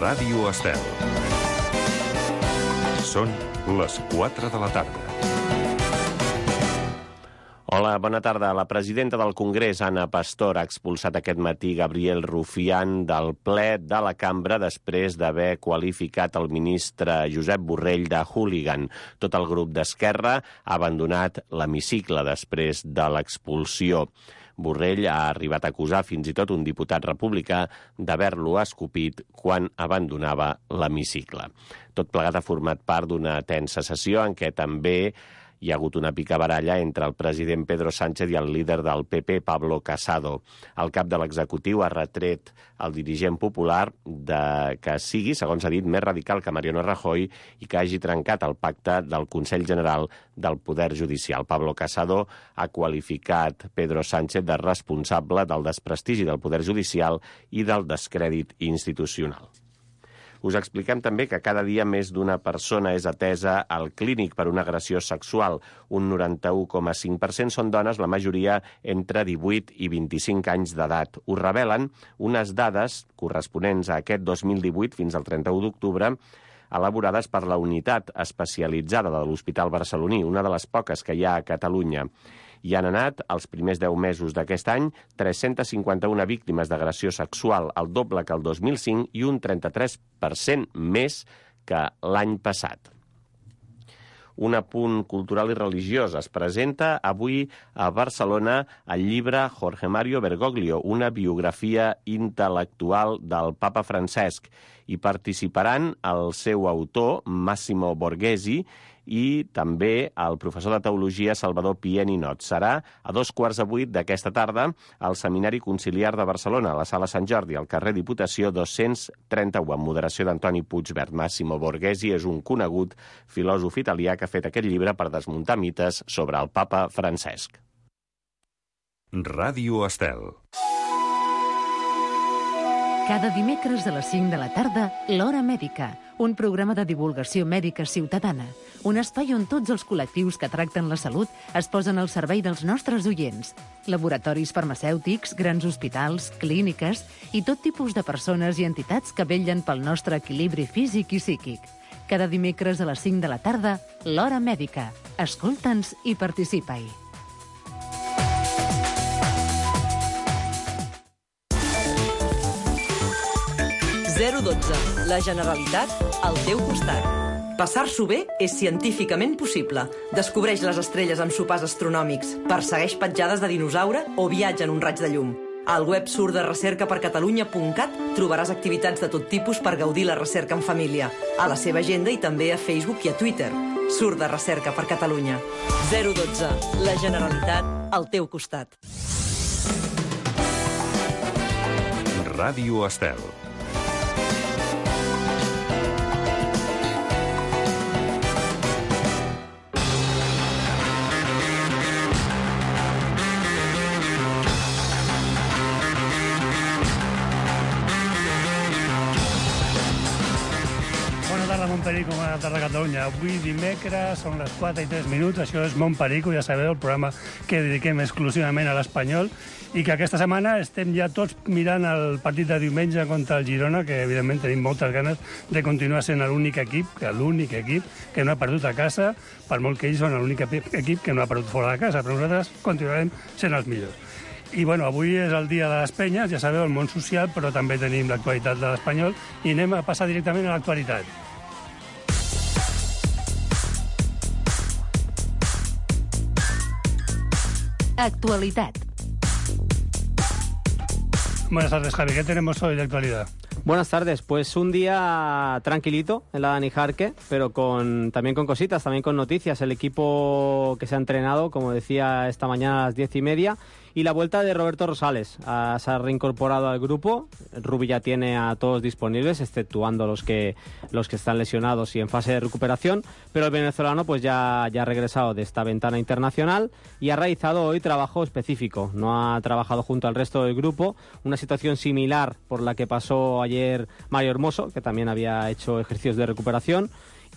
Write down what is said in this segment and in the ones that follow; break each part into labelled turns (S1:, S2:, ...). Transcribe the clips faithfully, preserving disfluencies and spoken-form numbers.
S1: Ràdio Estel. Són les quatre de la tarda.
S2: Hola, bona tarda. La presidenta del Congrés, Ana Pastor, ha expulsat aquest matí Gabriel Rufián del ple de la cambra després d'haver qualificat el ministre Josep Borrell de hooligan. Tot el grup d'Esquerra ha abandonat l'hemicicle després de l'expulsió. Borrell ha arribat a acusar fins i tot un diputat republicà d'haver-lo escopit quan abandonava l'hemicicle. Tot plegat ha format part d'una tensa sessió en què també hi ha hagut una picabaralla entre el president Pedro Sánchez i el líder del P P, Pablo Casado. El cap de l'executiu ha retret al dirigent popular de que sigui, segons ha dit, més radical que Mariano Rajoy i que hagi trencat el pacte del Consell General del Poder Judicial. Pablo Casado ha qualificat Pedro Sánchez de responsable del desprestigi del Poder Judicial i del descrèdit institucional. Us expliquem també que cada dia més d'una persona és atesa al clínic per una agressió sexual. Un noranta-u coma cinc per cent són dones, la majoria entre divuit i vint-i-cinc anys d'edat. Ho revelen unes dades corresponents a aquest dos mil divuit fins al trenta-u d'octubre, elaborades per la unitat especialitzada de l'Hospital Barceloní, una de les poques que hi ha a Catalunya. Hi han anat, els primers deu mesos d'aquest any, tres-centes cinquanta-una víctimes d'agressió sexual, el doble que el dos mil cinc i un trenta-tres per cent més que l'any passat. Un apunt cultural i religiós. Es presenta avui a Barcelona el llibre Jorge Mario Bergoglio, una biografia intel·lectual del papa Francesc. Hi participaran el seu autor, Massimo Borghesi, i també el professor de teologia Salvador Pié Ninot. Serà a dos quarts de vuit d'aquesta tarda al Seminari Conciliar de Barcelona, a la Sala Sant Jordi, al carrer Diputació dos-cents trenta-u, amb moderació d'Antoni Puigvert. Massimo Borghesi és un conegut filòsof italià que ha fet aquest llibre per desmuntar mites sobre el papa Francesc.
S1: Ràdio Estel.
S3: Cada dimecres a les cinc de la tarda, l'Hora Mèdica, un programa de divulgació mèdica ciutadana, un espai on tots els col·lectius que tracten la salut es posen al servei dels nostres oients. Laboratoris farmacèutics, grans hospitals, clíniques i tot tipus de persones i entitats que vetllen pel nostre equilibri físic i psíquic. Cada dimecres a les cinc de la tarda, l'Hora Mèdica. Escolta'ns i participa-hi.
S4: zero dotze. La Generalitat al teu costat. Passar-s'ho bé és científicament possible. Descobreix les estrelles amb sopars astronòmics, persegueix petjades de dinosaure o viatja en un raig de llum. Al web surt de recerca per catalunya punt cat trobaràs activitats de tot tipus per gaudir la recerca en família, a la seva agenda i també a Facebook i a Twitter. Surt de recerca per Catalunya. zero dotze. La Generalitat al teu costat.
S1: Ràdio Estel.
S5: Montperico, bona tarda a Catalunya. Avui dimecres, són les quatre i tres minuts, això és Montperico, ja sabeu, el programa que dediquem exclusivament a l'espanyol, i que aquesta setmana estem ja tots mirant el partit de diumenge contra el Girona, que evidentment tenim moltes ganes de continuar sent l'únic equip, que l'únic equip que no ha perdut a casa, per molt que ells són l'únic equip que no ha perdut fora de casa, però nosaltres continuarem sent els millors. I bueno, avui és el dia de les penyes, ja sabeu, el món social, però també tenim l'actualitat de l'espanyol, i anem a passar directament a l'actualitat.
S3: Actualidad.
S5: Buenas tardes, Javi. ¿Qué tenemos hoy de actualidad?
S6: Buenas tardes. Pues un día tranquilito en la Dani Jarque, pero con, también con cositas, también con noticias. El equipo que se ha entrenado, como decía esta mañana a las diez y media, y la vuelta de Roberto Rosales. Uh, se ha reincorporado al grupo. Rubi ya tiene a todos disponibles, exceptuando los que los que están lesionados y en fase de recuperación. Pero el venezolano pues ya, ya ha regresado de esta ventana internacional y ha realizado hoy trabajo específico. No ha trabajado junto al resto del grupo. Una situación similar por la que pasó ayer Mario Hermoso, que también había hecho ejercicios de recuperación.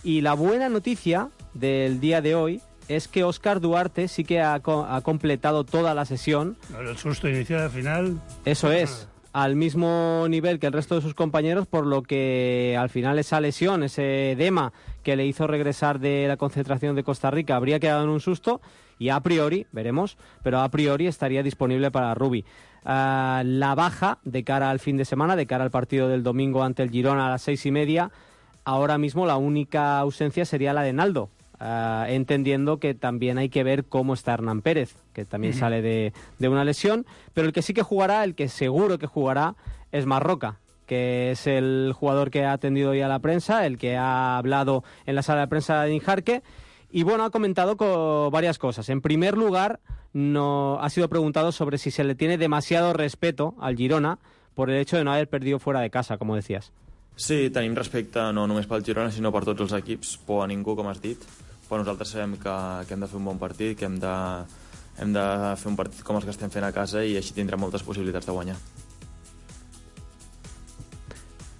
S6: Y la buena noticia del día de hoy es que Óscar Duarte sí que ha, co- ha completado toda la sesión.
S5: El susto inicial al final.
S6: Eso es. al mismo nivel que el resto de sus compañeros, por lo que al final esa lesión, ese edema que le hizo regresar de la concentración de Costa Rica habría quedado en un susto y a priori, veremos, pero a priori estaría disponible para Rubi. Uh, la baja de cara al fin de semana, de cara al partido del domingo ante el Girona a las seis y media, ahora mismo la única ausencia sería la de Naldo. Uh, entendiendo que también hay que ver cómo está Hernán Pérez, que también uh-huh. sale de, de una lesión, pero el que sí que jugará, el que seguro que jugará, es Marroca, que es el jugador que ha atendido hoy a la prensa, el que ha hablado en la sala de prensa de Nijarque, y bueno, ha comentado con varias cosas. En primer lugar, no ha sido preguntado sobre si se le tiene demasiado respeto al Girona por el hecho de no haber perdido fuera de casa, como decías.
S7: Sí, tenim respecte no només pel Girona, sinó per tots els equips, por a ningú, com has dit. Però nosaltres sabem que, que hem de fer un bon partit, que hem de, hem de fer un partit com els que estem fent a casa i així tindrem moltes possibilitats de guanyar.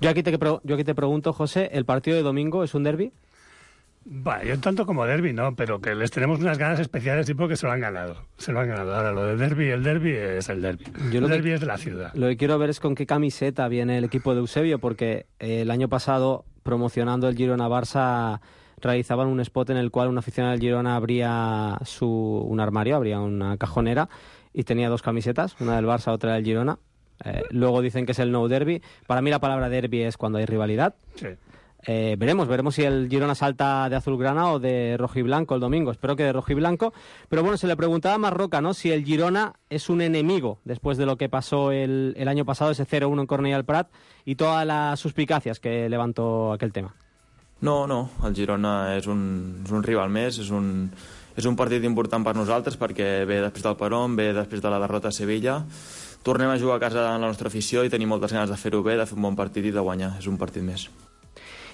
S6: Yo aquí te, yo aquí te pregunto, José, ¿el partido de domingo es un derbi?
S5: Bueno, yo tanto como derbi, ¿no? Pero que les tenemos unas ganas especiales y porque se lo han ganado. Se lo han ganado. Ahora, lo de derbi, el derbi es el derbi. Yo el derbi es de la ciudad.
S6: Lo que quiero ver es con qué camiseta viene el equipo de Eusebio, porque eh, el año pasado, promocionando el Girona-Barça, realizaban un spot en el cual un aficionado del Girona abría su, un armario, abría una cajonera y tenía dos camisetas, una del Barça, otra del Girona. Eh, luego dicen que es el no derbi. Para mí la palabra derbi es cuando hay rivalidad.
S5: Sí.
S6: Eh, veremos, veremos si el Girona salta de azulgrana o de rojiblanco el domingo. Espero que de rojiblanco. Pero bueno, se le preguntaba a Marroca, ¿no?, si el Girona es un enemigo después de lo que pasó el, el año pasado, ese cero uno en Cornellà al Prat y todas las suspicacias que levantó aquel tema.
S7: No, no, el Girona és un, és un rival més, és un, és un partit important per nosaltres perquè ve després del Perón, ve després de la derrota a Sevilla. Tornem a jugar a casa en la nostra afició i tenim moltes ganes de fer-ho bé, de fer un bon partit i de guanyar. És un partit més.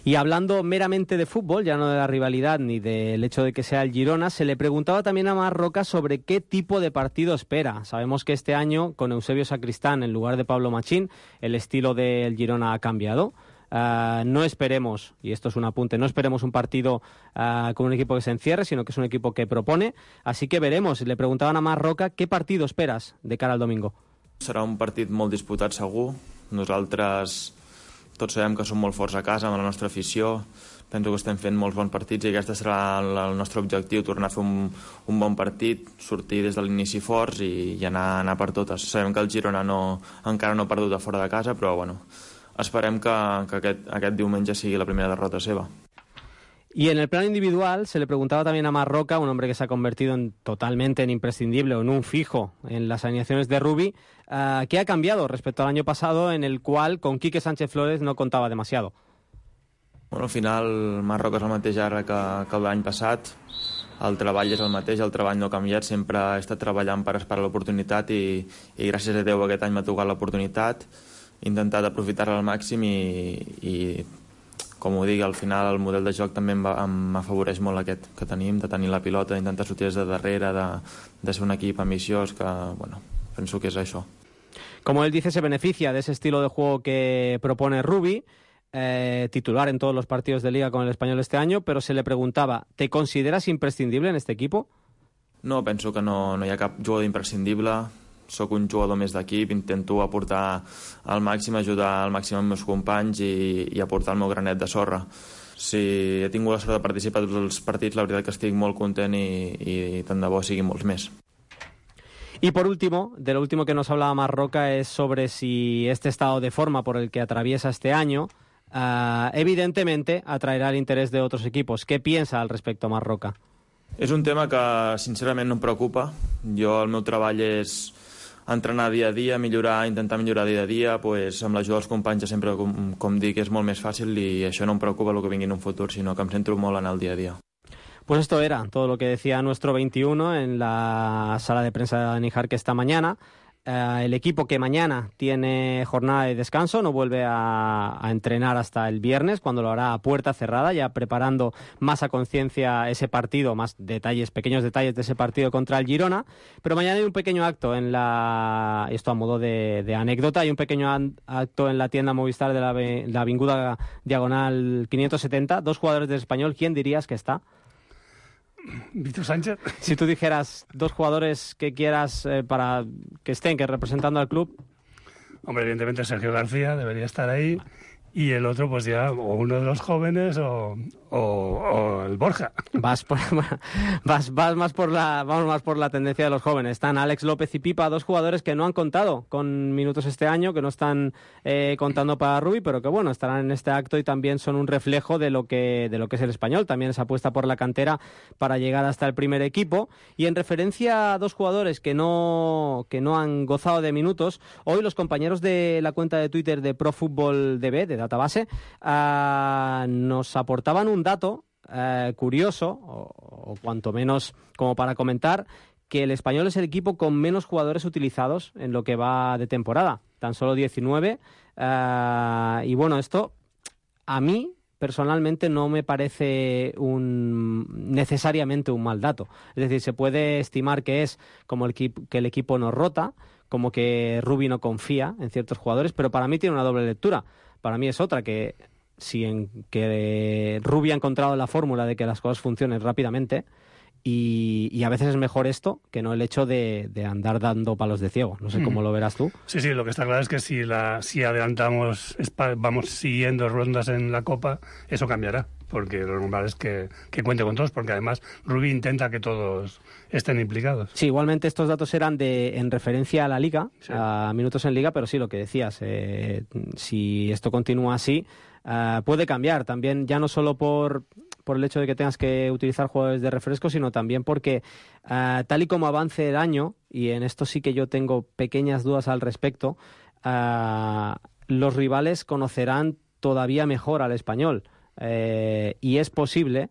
S6: Y hablando meramente de fútbol, ya no de la rivalidad ni del hecho de que sea el Girona, se le preguntaba también a Marroca sobre qué tipo de partido espera. Sabemos que este año, con Eusebio Sacristán en lugar de Pablo Machín, el estilo del Girona ha cambiado. Uh, no esperemos, y esto es un apunte, no esperemos un partido uh, con un equipo que se encierre, sino que es un equipo que propone. Así que veremos. Le preguntaban a Marroca qué partido esperas de cara al domingo.
S7: Serà un partit molt disputat segur. Nosaltres tots sabem que som molt forts a casa amb la nostra afició. Penso que estem fent molts bons partits i aquest serà el, el nostre objectiu, tornar a fer un, un bon partit, sortir des de l'inici forts i, i anar, anar per totes. Sabem que el Girona no, encara no ha perdut a fora de casa, però bueno, esperem que, que aquest, aquest diumenge sigui la primera derrota seva.
S6: Y en el plano individual se le preguntaba también a Marroca, un hombre que se ha convertido en, totalmente en imprescindible o en un fijo en las alineaciones de Rubi, uh, ¿qué ha cambiado respecto al año pasado en el cual con Quique Sánchez Flores no contaba demasiado?
S7: Bueno, al final Marroca és el mateix ara que, que l'any passat, el treball és el mateix, el treball no ha canviat, sempre he estat treballant per esperar l'oportunitat i, i gràcies a Déu aquest any m'ha tocat l'oportunitat, he intentat aprofitar-la al màxim i, i com ho dic, al final el model de joc també m'afavoreix molt aquest que tenim, de tenir la pilota, d'intentar sortir des de darrere, de, de ser un equip ambiciós, que bueno, penso que és això.
S6: Como él dice, se beneficia de ese estilo de juego que propone Rubi, eh, titular en todos los partidos de Liga con el Español este año, pero se le preguntaba, ¿te consideras imprescindible en este equipo?
S7: No, penso que no, no hi ha cap jugador imprescindible. Soc un jugador més d'equip, intento aportar al màxim, ajudar al màxim els meus companys i, i aportar el meu granet de sorra. Si he tingut la sort de participar a tots els partits, la veritat que estic molt content i, i tant de bo siguin molts més.
S6: Y por último, de lo último que nos hablaba Marroca es sobre si este estado de forma por el que atraviesa este año uh, evidentemente atraerá el interés de otros equipos. ¿Qué piensa al respecto Marroca?
S7: És un tema que sincerament no em preocupa. Jo, el meu treball és entrenar dia a dia, millorar, intentar millorar dia a dia, pues, amb l'ajuda dels companys sempre, com, com dic, és molt més fàcil i això no em preocupa el que vingui en un futur, sinó que em centro molt en el dia a dia.
S6: Pues esto era todo lo que decía nuestro veintiuno en la sala de prensa de Nijarque esta mañana. Uh, el equipo que mañana tiene jornada de descanso no vuelve a, a entrenar hasta el viernes, cuando lo hará a puerta cerrada, ya preparando más a conciencia ese partido, más detalles, pequeños detalles de ese partido contra el Girona. Pero mañana hay un pequeño acto en la, esto a modo de, de anécdota, hay un pequeño acto en la tienda Movistar de la, la Avinguda Diagonal quinientos setenta, dos jugadores del Español. ¿Quién dirías que está?
S5: Víctor Sánchez.
S6: Si tú dijeras dos jugadores que quieras eh, para que estén, que representando al club.
S5: Hombre, evidentemente Sergio García debería estar ahí. Y el otro, pues ya, o uno de los jóvenes o, o, o el Borja.
S6: Vas, por, vas, vas más por la, vamos más por la tendencia de los jóvenes. Están Alex López y Pipa, dos jugadores que no han contado con minutos este año, que no están eh, contando para Rubi, pero que bueno, estarán en este acto y también son un reflejo de lo que, de lo que es el Español. También se apuesta por la cantera para llegar hasta el primer equipo. Y en referencia a dos jugadores que no, que no han gozado de minutos, hoy los compañeros de la cuenta de Twitter de Pro Fútbol D B, de Database, uh, nos aportaban un dato uh, curioso, o, o cuanto menos como para comentar, que el Español es el equipo con menos jugadores utilizados en lo que va de temporada, tan solo diecinueve, uh, y bueno, esto a mí personalmente no me parece un necesariamente un mal dato. Es decir, se puede estimar que es como el que el equipo no rota, como que Rubi no confía en ciertos jugadores, pero para mí tiene una doble lectura. Para mí es otra, que si en que Rubi ha encontrado la fórmula de que las cosas funcionen rápidamente, y, y a veces es mejor esto que no el hecho de, de andar dando palos de ciego. No sé mm. cómo lo verás tú.
S5: Sí, sí, lo que está claro es que si, la, si adelantamos, vamos siguiendo rondas en la Copa, eso cambiará, porque lo normal es que, que cuente con todos, porque además Rubi intenta que todos estén implicados.
S6: Sí, igualmente estos datos eran de en referencia a la Liga, sí. a minutos en Liga, pero sí, lo que decías, eh, si esto continúa así, uh, puede cambiar también, ya no solo por... por el hecho de que tengas que utilizar jugadores de refresco, sino también porque uh, tal y como avance el año, y en esto sí que yo tengo pequeñas dudas al respecto, uh, los rivales conocerán todavía mejor al Español, uh, y es posible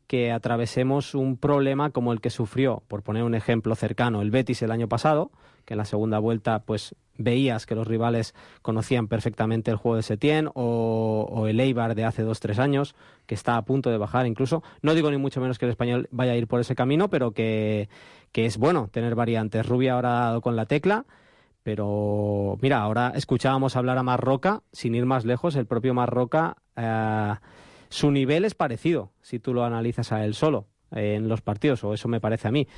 S6: que atravesemos un problema como el que sufrió, por poner un ejemplo cercano, el Betis el año pasado, que en la segunda vuelta pues veías que los rivales conocían perfectamente el juego de Setién, o, o el Eibar de hace dos, tres años, que está a punto de bajar incluso. No digo ni mucho menos que el Español vaya a ir por ese camino, pero que, que es bueno tener variantes. Rubi ahora ha dado con la tecla, pero mira, ahora escuchábamos hablar a Marroca, sin ir más lejos, el propio Marroca, eh, su nivel es parecido, si tú lo analizas a él solo eh, en los partidos, o eso me parece a mí.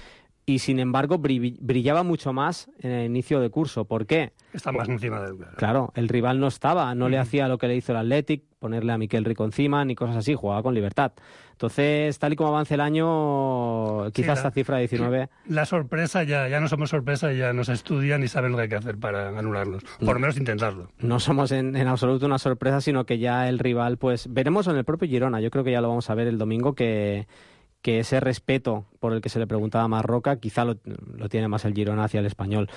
S6: Y sin embargo brillaba mucho más en el inicio de curso. ¿Por qué?
S5: Está más encima del...
S6: Claro, el rival no estaba, no mm. le hacía lo que le hizo el Athletic, ponerle a Miquel Rico encima, ni cosas así, jugaba con libertad. Entonces, tal y como avance el año, quizás sí, la, esta cifra de diecinueve...
S5: La sorpresa, ya, ya no somos sorpresa, ya nos estudian y saben lo que hay que hacer para anularlos. Por lo menos intentarlo.
S6: No somos en, en absoluto una sorpresa, sino que ya el rival, pues, veremos en el propio Girona. Yo creo que ya lo vamos a ver el domingo, que... que ese respeto por el que se le preguntaba a Marroca quizá lo, lo tiene más el Girona hacia el Español.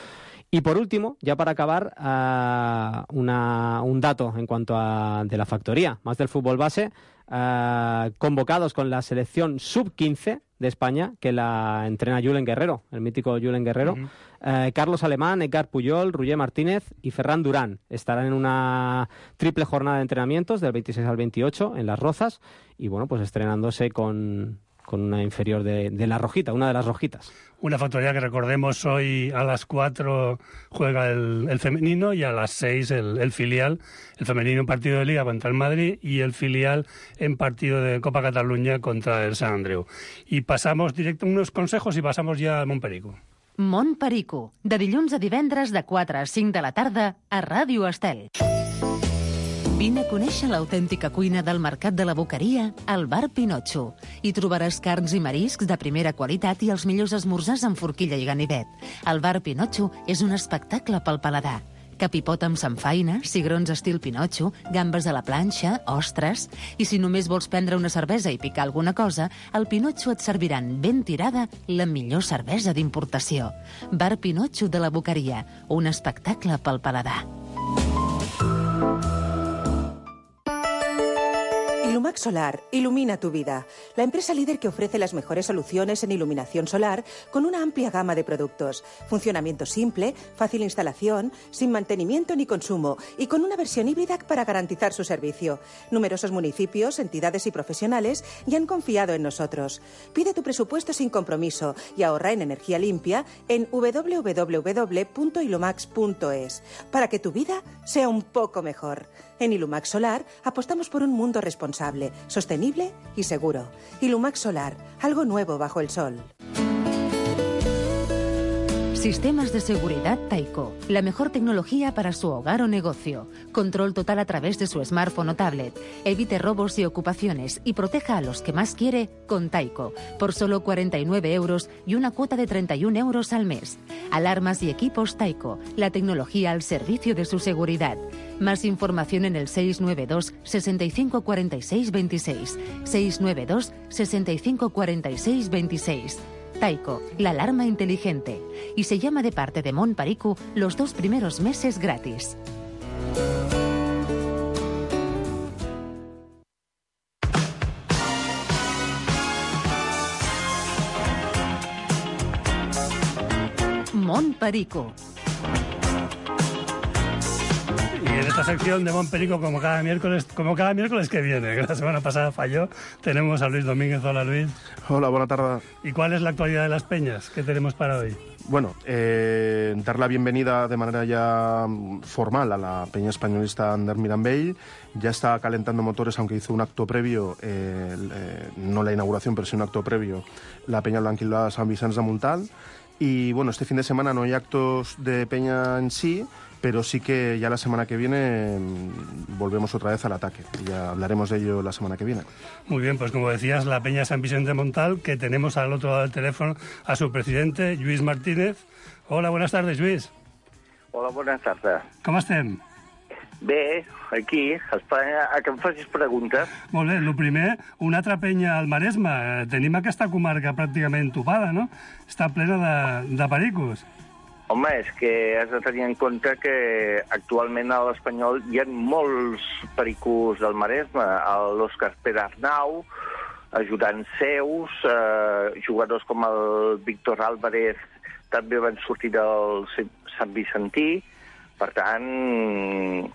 S6: Y por último, ya para acabar, uh, una, un dato en cuanto a de la factoría, más del fútbol base, uh, convocados con la selección sub quince de España, que la entrena Julen Guerrero, el mítico Julen Guerrero, uh-huh. uh, Carlos Alemán, Edgar Puyol, Roger Martínez y Ferran Durán estarán en una triple jornada de entrenamientos del veintiséis al veintiocho en Las Rozas, y bueno, pues estrenándose con... con una inferior de, de la Rojita, una de las Rojitas.
S5: Una factoría que recordemos hoy a las cuatro juega el, el femenino y a las seis el, el filial. El femenino en partido de Liga contra el Madrid y el filial en partido de Copa Cataluña contra el Sant Andreu. Y pasamos directo unos consejos y pasamos ya a Montperico.
S3: Montperico, de dilluns a divendres de quatre a cinc de la tarda a Ràdio Estel. Vine a conèixer l'autèntica cuina del Mercat de la Boqueria al Bar Pinotxo. Hi trobaràs carns i mariscs de primera qualitat i els millors esmorzars amb forquilla i ganivet. El Bar Pinotxo és un espectacle pel paladar. Capipot amb samfaina, cigrons estil Pinotxo, gambes a la planxa, ostres... I si només vols prendre una cervesa i picar alguna cosa, al Pinotxo et serviran ben tirada la millor cervesa d'importació. Bar Pinotxo de la Boqueria, un espectacle pel paladar.
S8: Ilumax Solar ilumina tu vida. La empresa líder que ofrece las mejores soluciones en iluminación solar con una amplia gama de productos. Funcionamiento simple, fácil instalación, sin mantenimiento ni consumo y con una versión híbrida para garantizar su servicio. Numerosos municipios, entidades y profesionales ya han confiado en nosotros. Pide tu presupuesto sin compromiso y ahorra en energía limpia en doble u doble u doble u punto ilumax punto es para que tu vida sea un poco mejor. En Ilumax Solar apostamos por un mundo responsable, sostenible y seguro. Ilumax Solar, algo nuevo bajo el sol.
S3: Sistemas de seguridad Taiko. La mejor tecnología para su hogar o negocio. Control total a través de su smartphone o tablet. Evite robos y ocupaciones y proteja a los que más quiere con Taiko. Por solo cuarenta y nueve euros y una cuota de treinta y un euros al mes. Alarmas y equipos Taiko. La tecnología al servicio de su seguridad. Más información en el seis nueve dos, sesenta y cinco cuarenta y seis veintiséis. seis nueve dos, sesenta y cinco cuarenta y seis veintiséis. Taiko, la alarma inteligente. Y se llama de parte de Mon Pariku los dos primeros meses gratis. Mon Pariku.
S5: Y en esta sección de Mon Perico, como cada miércoles, como cada miércoles que viene, que la semana pasada falló, tenemos a Luis Domínguez. Hola, Luis.
S9: Hola, buena tarde.
S5: ¿Y cuál es la actualidad de las peñas que tenemos para hoy?
S9: Bueno, eh, dar la bienvenida de manera ya formal a la peña españolista Ander Mirambell. Ya está calentando motores, aunque hizo un acto previo, eh, eh, no la inauguración, pero sí un acto previo, la peña Blanquilada San Vicente de Montal. Y bueno, este fin de semana no hay actos de peña en sí, pero sí que ya la semana que viene mmm, volvemos otra vez al ataque. Ya hablaremos de ello la semana que viene.
S5: Muy bien, pues como decías, la peña San Vicente de Montal, que tenemos al otro lado del teléfono a su presidente, Lluís Martínez. Hola, buenas tardes, Lluís.
S10: Hola, buenas tardes.
S5: Com estem?
S10: Bé, aquí, a Espanya, a que em facis preguntes.
S5: Molt bé, el primer, una altra penya al Maresme. Tenim aquesta comarca pràcticament topada, no? Està plena de, de pericos.
S10: Home, és que has de tenir en compte que actualment a l'Espanyol hi ha molts pericos del Maresme. L'Òscar Perarnau, ajudants seus, eh, jugadors com el Víctor Álvarez també van sortir del Sant Vicentí. Per tant,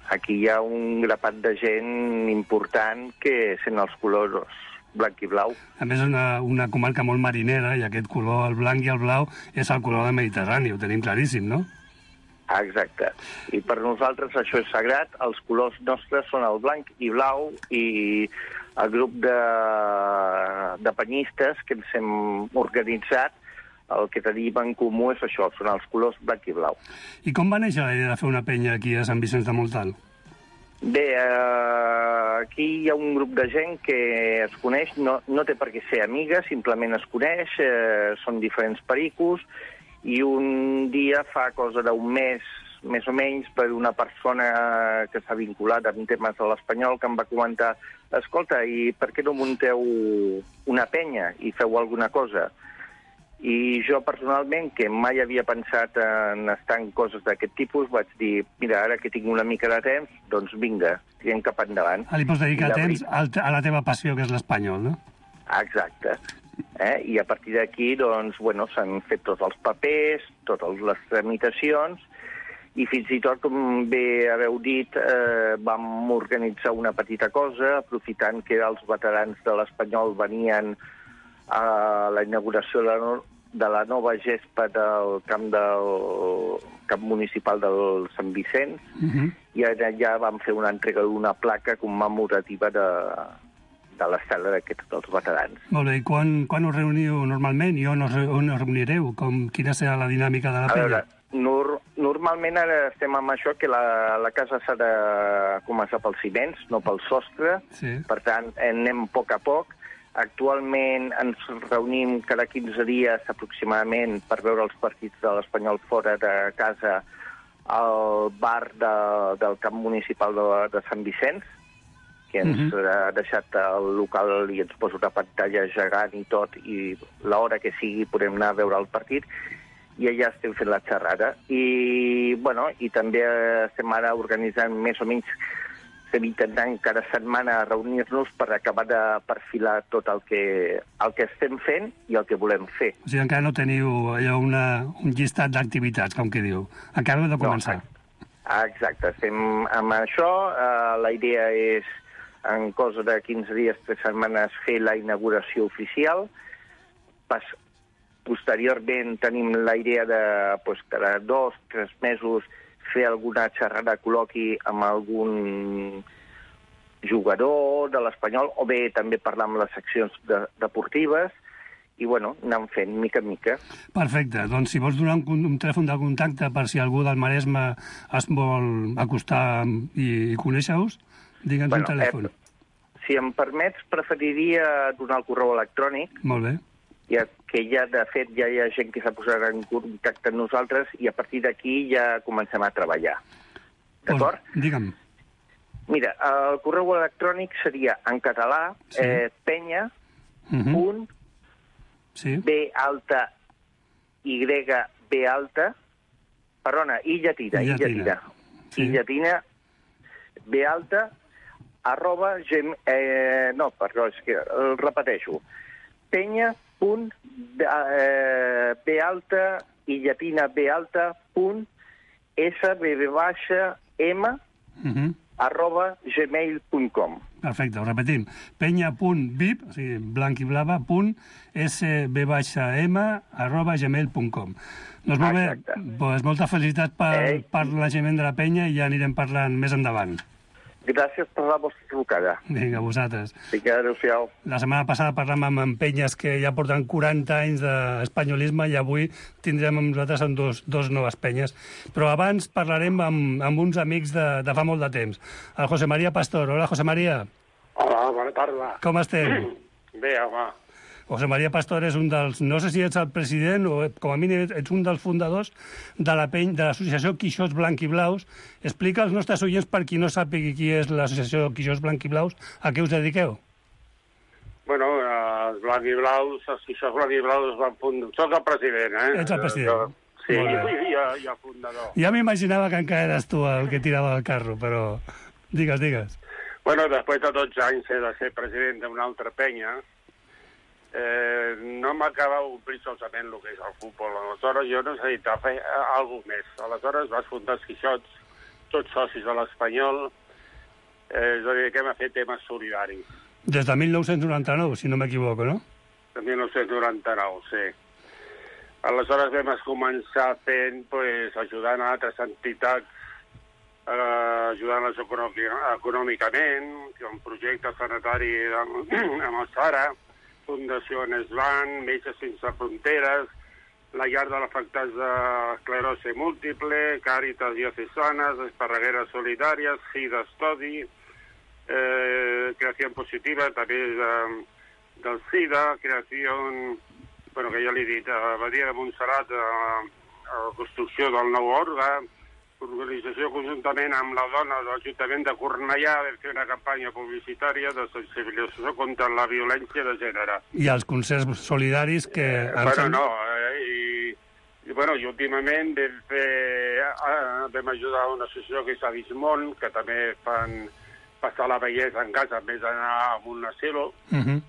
S10: aquí hi ha un grapat de gent important que sent els colors blanc i blau.
S5: A més, és una, una comarca molt marinera i aquest color, el blanc i el blau, és el color del Mediterrani, ho tenim claríssim, no?
S10: Exacte. I per nosaltres això és sagrat. Els colors nostres són el blanc i blau i el grup de, de penyistes que ens hem organitzat, el que tenim en comú és això, són els colors blanc i blau.
S5: I com va néixer la idea de fer una penya aquí a Sant Vicenç de Montal?
S10: Bé, eh, aquí hi ha un grup de gent que es coneix, no, no té per què ser amiga, simplement es coneix, eh, són diferents pericos, i un dia, fa cosa d'un mes, més o menys, per una persona que s'ha vinculat amb temes de l'Espanyol, que em va comentar, escolta, i per què no munteu una penya i feu alguna cosa? I jo personalment, que mai havia pensat en estar en coses d'aquest tipus, vaig dir, mira, ara que tinc una mica de temps, doncs vinga, tirem cap endavant.
S5: Ah, li pots dedicar temps a la teva passió, que és l'espanyol, no?
S10: Exacte. Eh? I a partir d'aquí, doncs, bueno, s'han fet tots els papers, totes les tramitacions, i fins i tot, com bé haveu dit, eh, vam organitzar una petita cosa, aprofitant que els veterans de l'Espanyol venien a la inauguració de la, no de la nova gespa del camp del camp municipal del Sant Vicenç, uh-huh. I allà ja vam fer una entrega d'una placa commemorativa de, de l'estela d'aquests dels veterans.
S5: Molt bé, i quan, quan us reuniu normalment i on us, on us reunireu? Com, quina serà la dinàmica de la penya? A veure,
S10: nor normalment ara estem amb això, que la, la casa s'ha de començar pels ciments, no pel sostre, sí. Per tant, anem a poc a poc. Actualment ens reunim cada quinze dies aproximadament per veure els partits de l'Espanyol fora de casa al bar de, del camp municipal de, de Sant Vicenç, que ens uh-huh. ha deixat el local i ens posa una pantalla gegant i tot, i l'hora que sigui podem anar a veure el partit, i allà estem fent la xerrada. I, bueno, i també estem ara organitzant més o menys, estem intentant cada setmana reunir-nos per acabar de perfilar tot el que, el que estem fent i el que volem fer.
S5: O sigui, encara no teniu allò una, un llistat d'activitats, com que diu. Encara heu de començar.
S10: No, exacte, estem amb això. Uh, la idea és, en cosa de quinze dies, tres setmanes, fer la inauguració oficial. Pas, posteriorment tenim la idea de, pues, cada dos, tres mesos, fer alguna xerrada, col·loqui amb algun jugador de l'Espanyol, o bé també parlar amb les seccions de, deportives, i, bueno, anem fent mica en mica.
S5: Perfecte. Doncs si vols donar un, un telèfon de contacte per si algú del Maresme es vol acostar i, i conèixer-us, digue'ns bueno, un telèfon.
S10: Eh, si em permets, preferiria donar el correu electrònic.
S5: Molt bé.
S10: Ja, que ja, de fet, ja hi ha gent que s'ha posat en contacte amb nosaltres i a partir d'aquí ja comencem a treballar. D'acord?
S5: Pues, digue'm.
S10: Mira, el correu electrònic seria en català, sí. eh, penya, uh -huh. punt, sí. B alta, Y, B alta, perdona, I llatina, I llatina, I llatina, sí. I llatina, B alta, arroba, gem, eh, no, perdó, és que el repeteixo, penya, punt, eh, B alta, I llatina, B alta, punt, S, B, B baixa, M, uh -huh. arroba gmail punt com.
S5: Perfecte, ho repetim. penya.vip, o sigui, blanc i blava, punt, sb-m, arroba gmail punt com. Doncs molt bé, doncs molta felicitat per, per l'enlaçament de la penya i ja anirem parlant més endavant.
S10: Gràcies per la vostra trucada.
S5: Vinga, vosaltres.
S10: Vinga, adéu-siau.
S5: La setmana passada parlàvem amb, amb penyes que ja porten quaranta anys d'espanyolisme i avui tindrem amb nosaltres amb dos, dos noves penyes. Però abans parlarem amb, amb uns amics de, de fa molt de temps. El José María Pastor. Hola, José María.
S11: Hola, bona tarda.
S5: Com estem?
S11: Bé, home.
S5: José María Pastor és un dels... No sé si ets el president o, com a mínim, ets un dels fundadors de la peny, de l'associació Quixots Blanc i Blaus. Explica als nostres oients, per qui no sàpiga qui és l'associació Quixots Blanc i Blaus, a què us dediqueu?
S11: Bueno, els Blanc i Blaus, els Quixots Blanc i Blaus van fundar... Soc el president, eh?
S5: Ets el president. Jo,
S11: sí, i, i, i, i el fundador.
S5: Ja m'imaginava que encara eres tu el que tirava el carro, però... Digues, digues.
S11: Bueno, després de dotze anys he de ser president d'una altra penya. Eh, no m'acaba d'omplir solament el que és el futbol. Aleshores jo necessitava fer alguna cosa més. Aleshores vas fundar els Quixots, tots socis de l'Espanyol, eh, ens dediquem a fer temes solidaris.
S5: Des de mil nou-cents noranta-nou, si no m'equivoco, no?
S11: De mil nou-cents noranta-nou, sí. Aleshores vam començar fent, pues, ajudant a altres entitats, eh, ajudant-les econòmicament, un projecte sanitari amb, amb el Sara, Fundació Nesban, Metges Sense Fronteres, la llar de l'afectats d'esclerosi múltiple, Càritas Diocesanes, Esparregueres Solidàries, SIDA Estudi, eh, Creació Positiva, també de, del SIDA, Creació, bueno, que ja l'he dit, Badia de Montserrat, a la construcció del nou òrgan, organització conjuntament amb la dona de l'Ajuntament de Cornellà vam fer una campanya publicitària de sensibilització contra la violència de gènere.
S5: I els concerts solidaris que...
S11: Eh, bueno, no, eh, i, i, bueno, i últimament vam fer... Eh, vam ajudar una associació que és Avismont, que també fan passar la bellesa en casa en vez d'anar a un asilo. Uh -huh.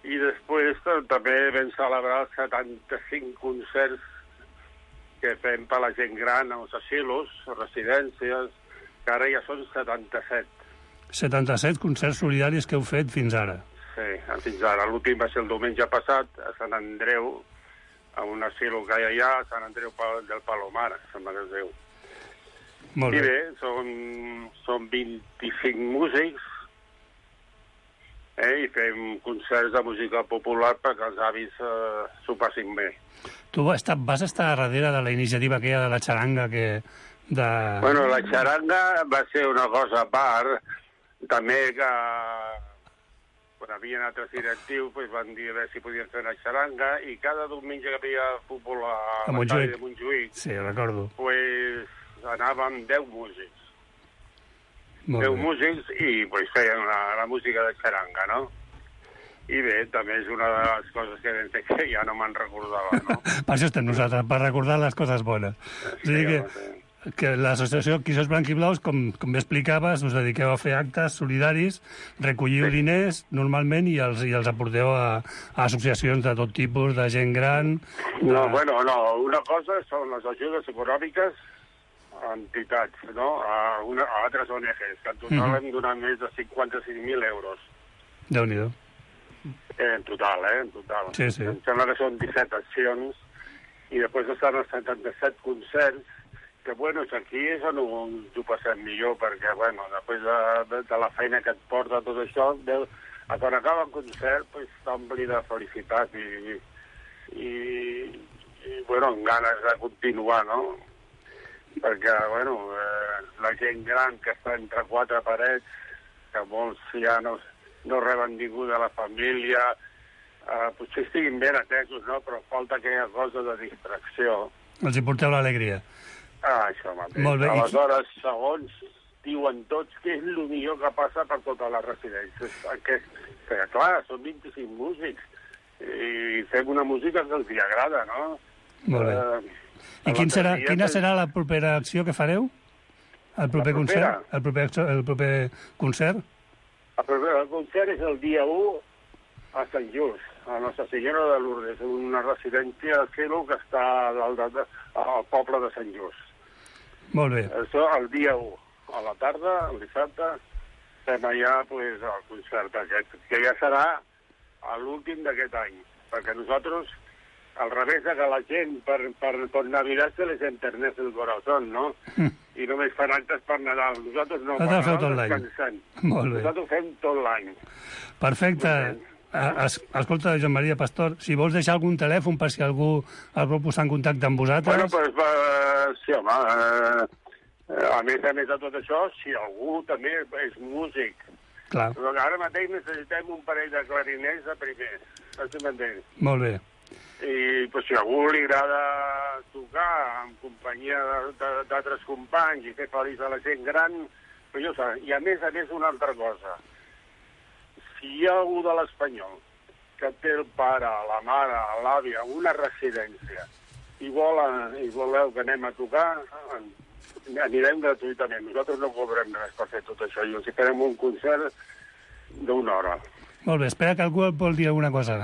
S11: I després també vam celebrar setanta-cinc concerts que fem per la gent gran als asilos, residències, que ara ja són setanta-set.
S5: setanta-set concerts solidaris que heu fet fins ara.
S11: Sí, fins ara. L'últim va ser el diumenge passat, a Sant Andreu, a un asilo que hi ha allà, a Sant Andreu del Palomar, sembla que es diu.
S5: Molt bé.
S11: I bé, són, són vint-i-cinc músics, eh, i fem concerts de música popular perquè els avis eh, s'ho passin bé.
S5: Tu vas estar darrere de la iniciativa aquella de la xaranga que... De...
S11: Bueno, la xaranga va ser una cosa a part, també que quan havien altres directius pues, van dir a veure si podien fer una xaranga i cada diumenge que havia futbol a,
S5: a
S11: l'estadi de Montjuïc,
S5: sí, recordo.
S11: Pues, anàvem deu músics.
S5: Molt
S11: deu
S5: bé.
S11: músics i pues, feien la, la música de xaranga, no? I bé, també és una de les coses que vam fer que ja no me'n recordava, no?
S5: Per això estem nosaltres, per recordar les coses bones. Sí, o sigui que, sí. que l'associació Quixots Blanc i Blaus, com, com bé explicaves, us dediqueu a fer actes solidaris, recolliu sí. diners normalment i els, i els aporteu a, a associacions de tot tipus, de gent gran... De...
S11: No, bueno, no, una cosa són les ajudes econòmiques a entitats, no? A, una, a altres O N Ges, que en total mm -hmm. hem donat més de cinquanta-cinc mil euros.
S5: Déu-n'hi-do.
S11: Eh, en total, eh? En total.
S5: Sí, sí.
S11: Em sembla que són disset accions i després estan els setanta-set concerts que, bueno, aquí és on ens ho passem millor perquè, bueno, després de, de, de la feina que et porta tot això, deu, quan acaba el concert, pues, t'ompli de felicitat i, i, i, bueno, amb ganes de continuar, no? Perquè, bueno, eh, la gent gran que està entre quatre parets, que molts ja no, no reben ningú de la família, eh, potser estiguin ben atesos, no? Però falta aquella cosa de distracció.
S5: Els hi porteu l'alegria.
S11: Ah, això mateix.
S5: Molt bé.
S11: Aleshores, segons diuen tots que és el millor que passa per totes les residències. Que, que clar, són vint-i-cinc músics i fem una música que els hi agrada, no?
S5: Molt bé. Eh, I quin serà, quina serà la propera acció que fareu? El proper concert? El proper, el proper concert?
S11: El proper el concert és el dia u a Sant Just, a Nostra Senyora de Lourdes, una residència de Cielo que està al, al poble de Sant Just.
S5: Molt bé.
S11: Això el dia u, a la tarda, el dissabte, fem allà pues, el concert aquest, que ja serà l'últim d'aquest any, perquè nosaltres, al revés de que la gent per, per, per Navidad se les enterneix el corazón, no? Mm. I només fan actes per Nadal. Nosaltres no, per Nadal descansem.
S5: Molt bé.
S11: Nosaltres fem tot l'any.
S5: Perfecte. Es, escolta, Joan Maria Pastor, si vols deixar algun telèfon per si algú el vol posar en contacte amb vosaltres...
S11: Bueno, pues, uh, sí, home, uh, a més a més de tot això, si algú també és músic,
S5: clar.
S11: Però ara mateix necessitem un parell de clarinets de primer, no sé si m'entens.
S5: Molt bé.
S11: I pues, si a algú li agrada tocar en companyia d'altres companys i fer feliç a la gent gran, pues jo sé, i a més a més una altra cosa. Si hi ha algú de l'Espanyol que té el pare, la mare, l'àvia, una residència i, vol, i voleu que anem a tocar, anirem gratuïtament. Nosaltres no cobrem res per fer tot això i els farem un concert d'una hora.
S5: Molt bé, espera que algú vol dir alguna cosa.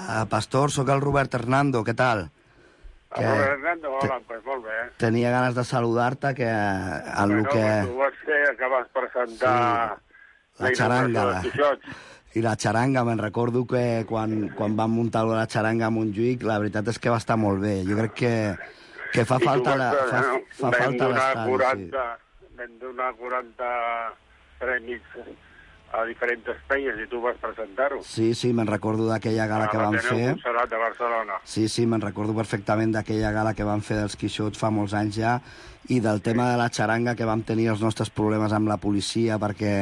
S12: Uh, Pastor, sóc el Robert Hernando, què tal?
S11: Que... Robert Hernando, hola, pues molt bé.
S12: Tenia ganes de saludar-te, que en bueno, el que...
S11: Tu vas fer, que vas presentar... Sí.
S12: La xaranga, la... i la xaranga, me'n recordo que quan, quan vam muntar la xaranga a Montjuïc, la veritat és que va estar molt bé. Jo crec que, que fa I falta la, fa, no? fa falta l'estadi. Sí.
S11: Vam donar quaranta premis a diferents penyes i tu vas presentar-ho.
S12: Sí, sí, me'n recordo d'aquella gala ah, que vam fer.
S11: Montserrat de Barcelona.
S12: Sí, sí, me'n recordo perfectament d'aquella gala que vam fer dels Quixots fa molts anys ja, i del tema de la xaranga, que vam tenir els nostres problemes amb la policia perquè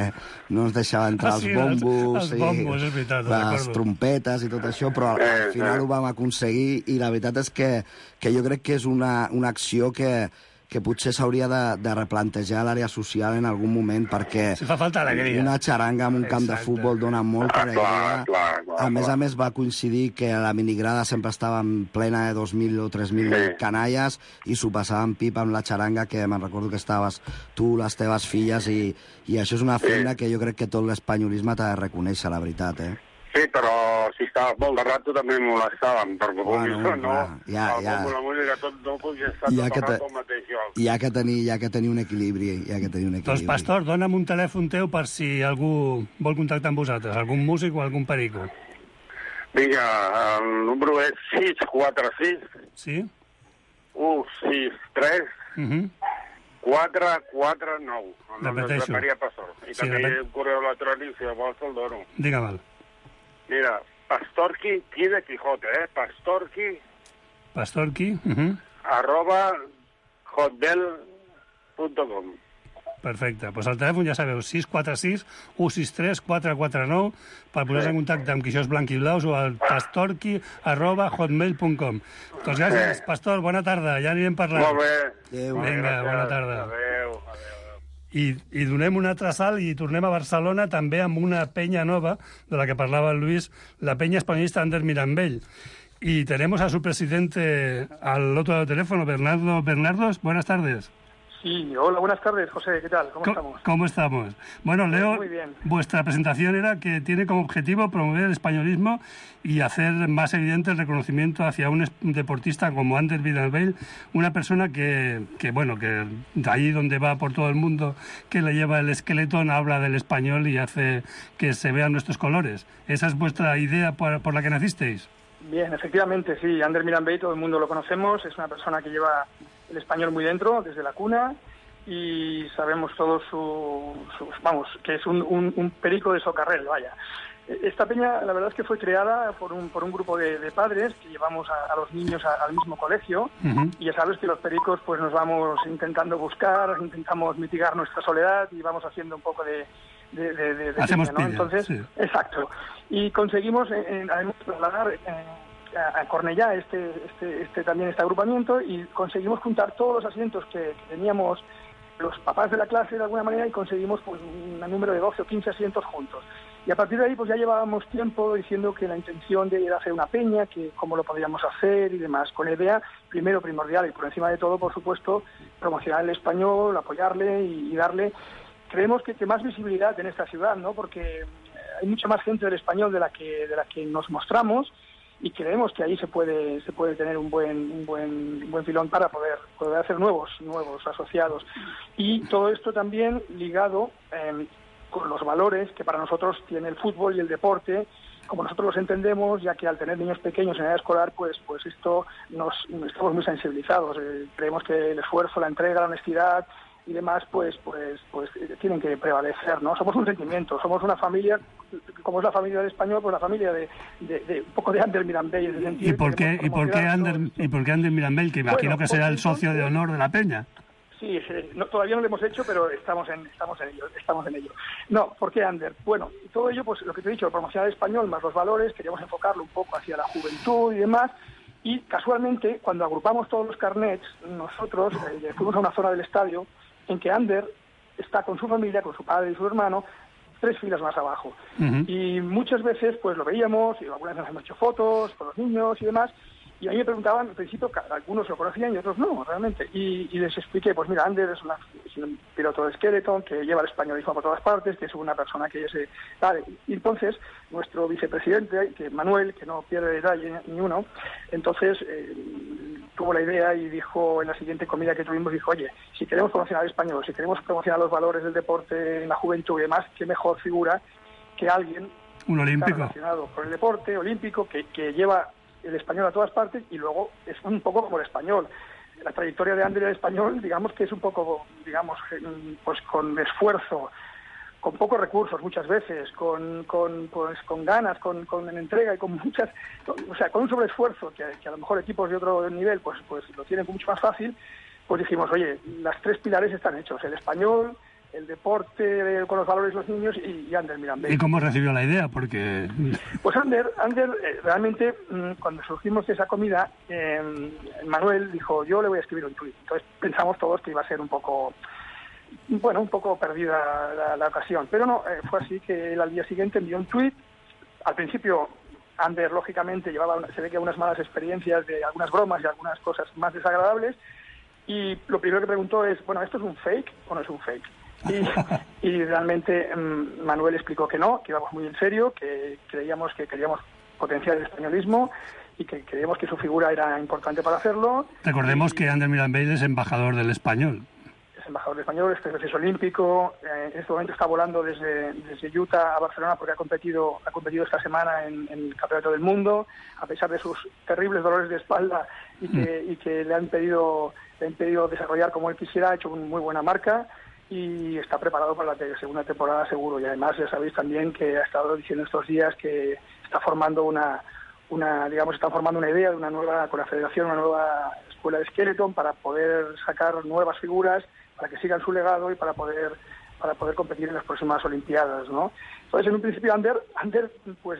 S12: no ens deixava entrar ah, sí, els bombos,
S5: els, els bombos i és veritat,
S12: les trompetes i tot això, però al, al final ho vam aconseguir i la veritat és que, que jo crec que és una, una acció que, que potser s'hauria de, de replantejar l'àrea social en algun moment, perquè
S5: si fa falta alegria.
S12: Una xaranga en un camp Exacte. de futbol dona molta alegria.
S11: Ah, clar, clar, clar,
S12: a més
S11: clar.
S12: a més va coincidir que la minigrada sempre estava en plena de dos mil o tres mil sí. canalles i s'ho passaven pipa amb la xaranga, que me'n recordo que estaves tu, les teves filles, i, i això és una feina sí. que jo crec que tot l'espanyolisme t'ha de reconèixer, la veritat, eh?
S11: Sí, però si estaves molt de rato també molestàvem, perquè bueno, no, no,
S12: ja, ja.
S11: la música tot no podia estar tot el rato al mateix lloc.
S12: Hi ha que tenir, hi ha que tenir un equilibri, hi ha que tenir un equilibri.
S5: Doncs, Pastor, dona'm un telèfon teu per si algú vol contactar amb vosaltres, algun músic o algun perico.
S11: Vinga, el número és sis quatre sis
S5: sí?
S11: u sis tres
S5: uh-huh.
S11: quatre quatre nou.
S5: Repeteixo.
S11: Maria Pastor. I sí, també repet... un correu electrònic, si vols, el dono.
S5: Digue'm-el.
S11: Mira, Pastorqui, qui de Quijote, eh? Pastorqui...
S5: Pastorqui, uh-huh.
S11: arroba hotmail punt com.
S5: Perfecte. Doncs pues el telèfon ja sabeu, sis quatre sis u sis tres quatre quatre nou, per posar-se sí. en contacte amb Quixós Blanc i Blaus o al pastorqui arroba hotmail punt com. Doncs gràcies, sí. Pastor, bona tarda, ja anirem parlant.
S11: Molt bé.
S12: Adéu.
S5: Vinga, bona tarda.
S11: Adéu, adéu.
S5: I, i donem un altre salt i tornem a Barcelona també amb una penya nova de la que parlava el Luis, la penya espanyolista Ander Mirambell. Y tenemos a su presidente al otro lado del teléfono, Bernardo Bernardos. Buenas tardes.
S13: Sí, hola, buenas tardes, José, ¿qué tal? ¿Cómo, ¿Cómo estamos?
S5: ¿Cómo estamos? Bueno, Leo,
S13: muy bien.
S5: Vuestra presentación era que tiene como objetivo promover el españolismo y hacer más evidente el reconocimiento hacia un deportista como Ander Mirambell, una persona que, que, bueno, que de ahí donde va por todo el mundo, que le lleva el esqueleto, habla del español y hace que se vean nuestros colores. ¿Esa es vuestra idea por, por la que nacisteis?
S13: Bien, efectivamente, sí, Ander Mirambell, todo el mundo lo conocemos, es una persona que lleva el español muy dentro, desde la cuna, y sabemos todos su, su vamos, que es un, un, un perico de socarrel, vaya. Esta peña, la verdad es que fue creada por un, por un grupo de, de padres que llevamos a, a los niños a, al mismo colegio, uh-huh. y ya sabes que los pericos pues nos vamos intentando buscar, intentamos mitigar nuestra soledad y vamos haciendo un poco de... de, de, de, de
S5: Hacemos
S13: peña, ¿no? Entonces,
S5: sí.
S13: Exacto. Y conseguimos, eh, además, trasladar eh, a Cornellá este, este, este, también este agrupamiento y conseguimos juntar todos los asientos que, que teníamos los papás de la clase de alguna manera y conseguimos pues, un número de doce o quince asientos juntos. Y a partir de ahí pues ya llevábamos tiempo diciendo que la intención de ir a hacer una peña, que cómo lo podríamos hacer y demás, con la idea, primero primordial y por encima de todo, por supuesto, promocionar el español, apoyarle y, y darle, creemos que, que más visibilidad en esta ciudad, ¿no? Porque hay mucha más gente del español de la que de la que nos mostramos y creemos que ahí se puede se puede tener un buen un buen un buen filón para poder poder hacer nuevos nuevos asociados. Y todo esto también ligado eh, con los valores que para nosotros tiene el fútbol y el deporte, como nosotros los entendemos, ya que al tener niños pequeños en edad escolar, pues pues esto nos estamos muy sensibilizados. Eh, creemos que el esfuerzo, la entrega, la honestidad y demás, pues pues pues tienen que prevalecer, ¿no? Somos un sentimiento, somos una familia, como es la familia del español, pues la familia de, de, de un poco de Ander Mirambell en ese sentido.
S5: ¿Y por qué y por qué Ander y por qué Ander Mirambell, que imagino bueno, que será el socio de honor de la peña?
S13: Sí, no, todavía no lo hemos hecho, pero estamos en estamos en ello, estamos en ello. No, ¿por qué Ander? Bueno, todo ello, pues lo que te he dicho, promocionar el español más los valores, queríamos enfocarlo un poco hacia la juventud y demás, y casualmente, cuando agrupamos todos los carnets, nosotros eh, fuimos a una zona del estadio en que Ander está con su familia, con su padre y su hermano, tres filas más abajo. Uh-huh. Y muchas veces, pues lo veíamos, y algunas veces nos hemos hecho fotos con los niños y demás, y a mí me preguntaban, al principio, algunos lo conocían y otros no, realmente. Y, y les expliqué, pues mira, Ander es, una, es un piloto de Skeleton que lleva el españolismo por todas partes, que es una persona que es... Vale. Y entonces, nuestro vicepresidente, que Manuel, que no pierde detalle ni uno, entonces eh, tuvo la idea y dijo, en la siguiente comida que tuvimos, dijo, oye, si queremos promocionar el español, si queremos promocionar los valores del deporte en la juventud y demás, qué mejor figura que alguien...
S5: Un olímpico.
S13: Relacionado con el deporte olímpico, que, que lleva el español a todas partes y luego es un poco como el español. La trayectoria de Ander en español, digamos que es un poco, digamos, pues con esfuerzo, con pocos recursos muchas veces, con, con pues con ganas, con, con entrega y con muchas, o sea, con un sobreesfuerzo que, que a lo mejor equipos de otro nivel pues pues lo tienen mucho más fácil, pues dijimos, oye, las tres pilares están hechos, el español, el deporte con los valores de los niños y, y Ander Mirambell.
S5: ¿Y cómo recibió la idea? Porque...
S13: Pues Ander, Ander eh, realmente, mmm, cuando surgimos de esa comida, eh, Manuel dijo, yo le voy a escribir un tuit. Entonces pensamos todos que iba a ser un poco, bueno, un poco perdida la, la ocasión. Pero no, eh, fue así que él al día siguiente envió un tuit. Al principio, Ander, lógicamente, llevaba, una, se ve que unas malas experiencias de algunas bromas y algunas cosas más desagradables. Y lo primero que preguntó es, bueno, ¿esto es un fake o no es un fake? Y, y realmente um, Manuel explicó que no, que íbamos muy en serio, que creíamos que queríamos potenciar el españolismo y que creíamos que su figura era importante para hacerlo.
S5: Recordemos y, que Ander Mirambell es embajador del español.
S13: Es embajador del español, es tres veces olímpico, eh, en este momento está volando desde, desde Utah a Barcelona porque ha competido ha competido esta semana en, en el Campeonato del Mundo, a pesar de sus terribles dolores de espalda y que, mm. y que le han pedido, le han pedido desarrollar como él quisiera, ha hecho una muy buena marca. Y está preparado para la segunda temporada seguro. Y además ya sabéis también que ha estado diciendo estos días que está formando una, una digamos, está formando una idea de una nueva, con la federación, una nueva escuela de Skeleton para poder sacar nuevas figuras, para que sigan su legado y para poder para poder competir en las próximas Olimpiadas, ¿no? Entonces, en un principio, Ander, Ander pues,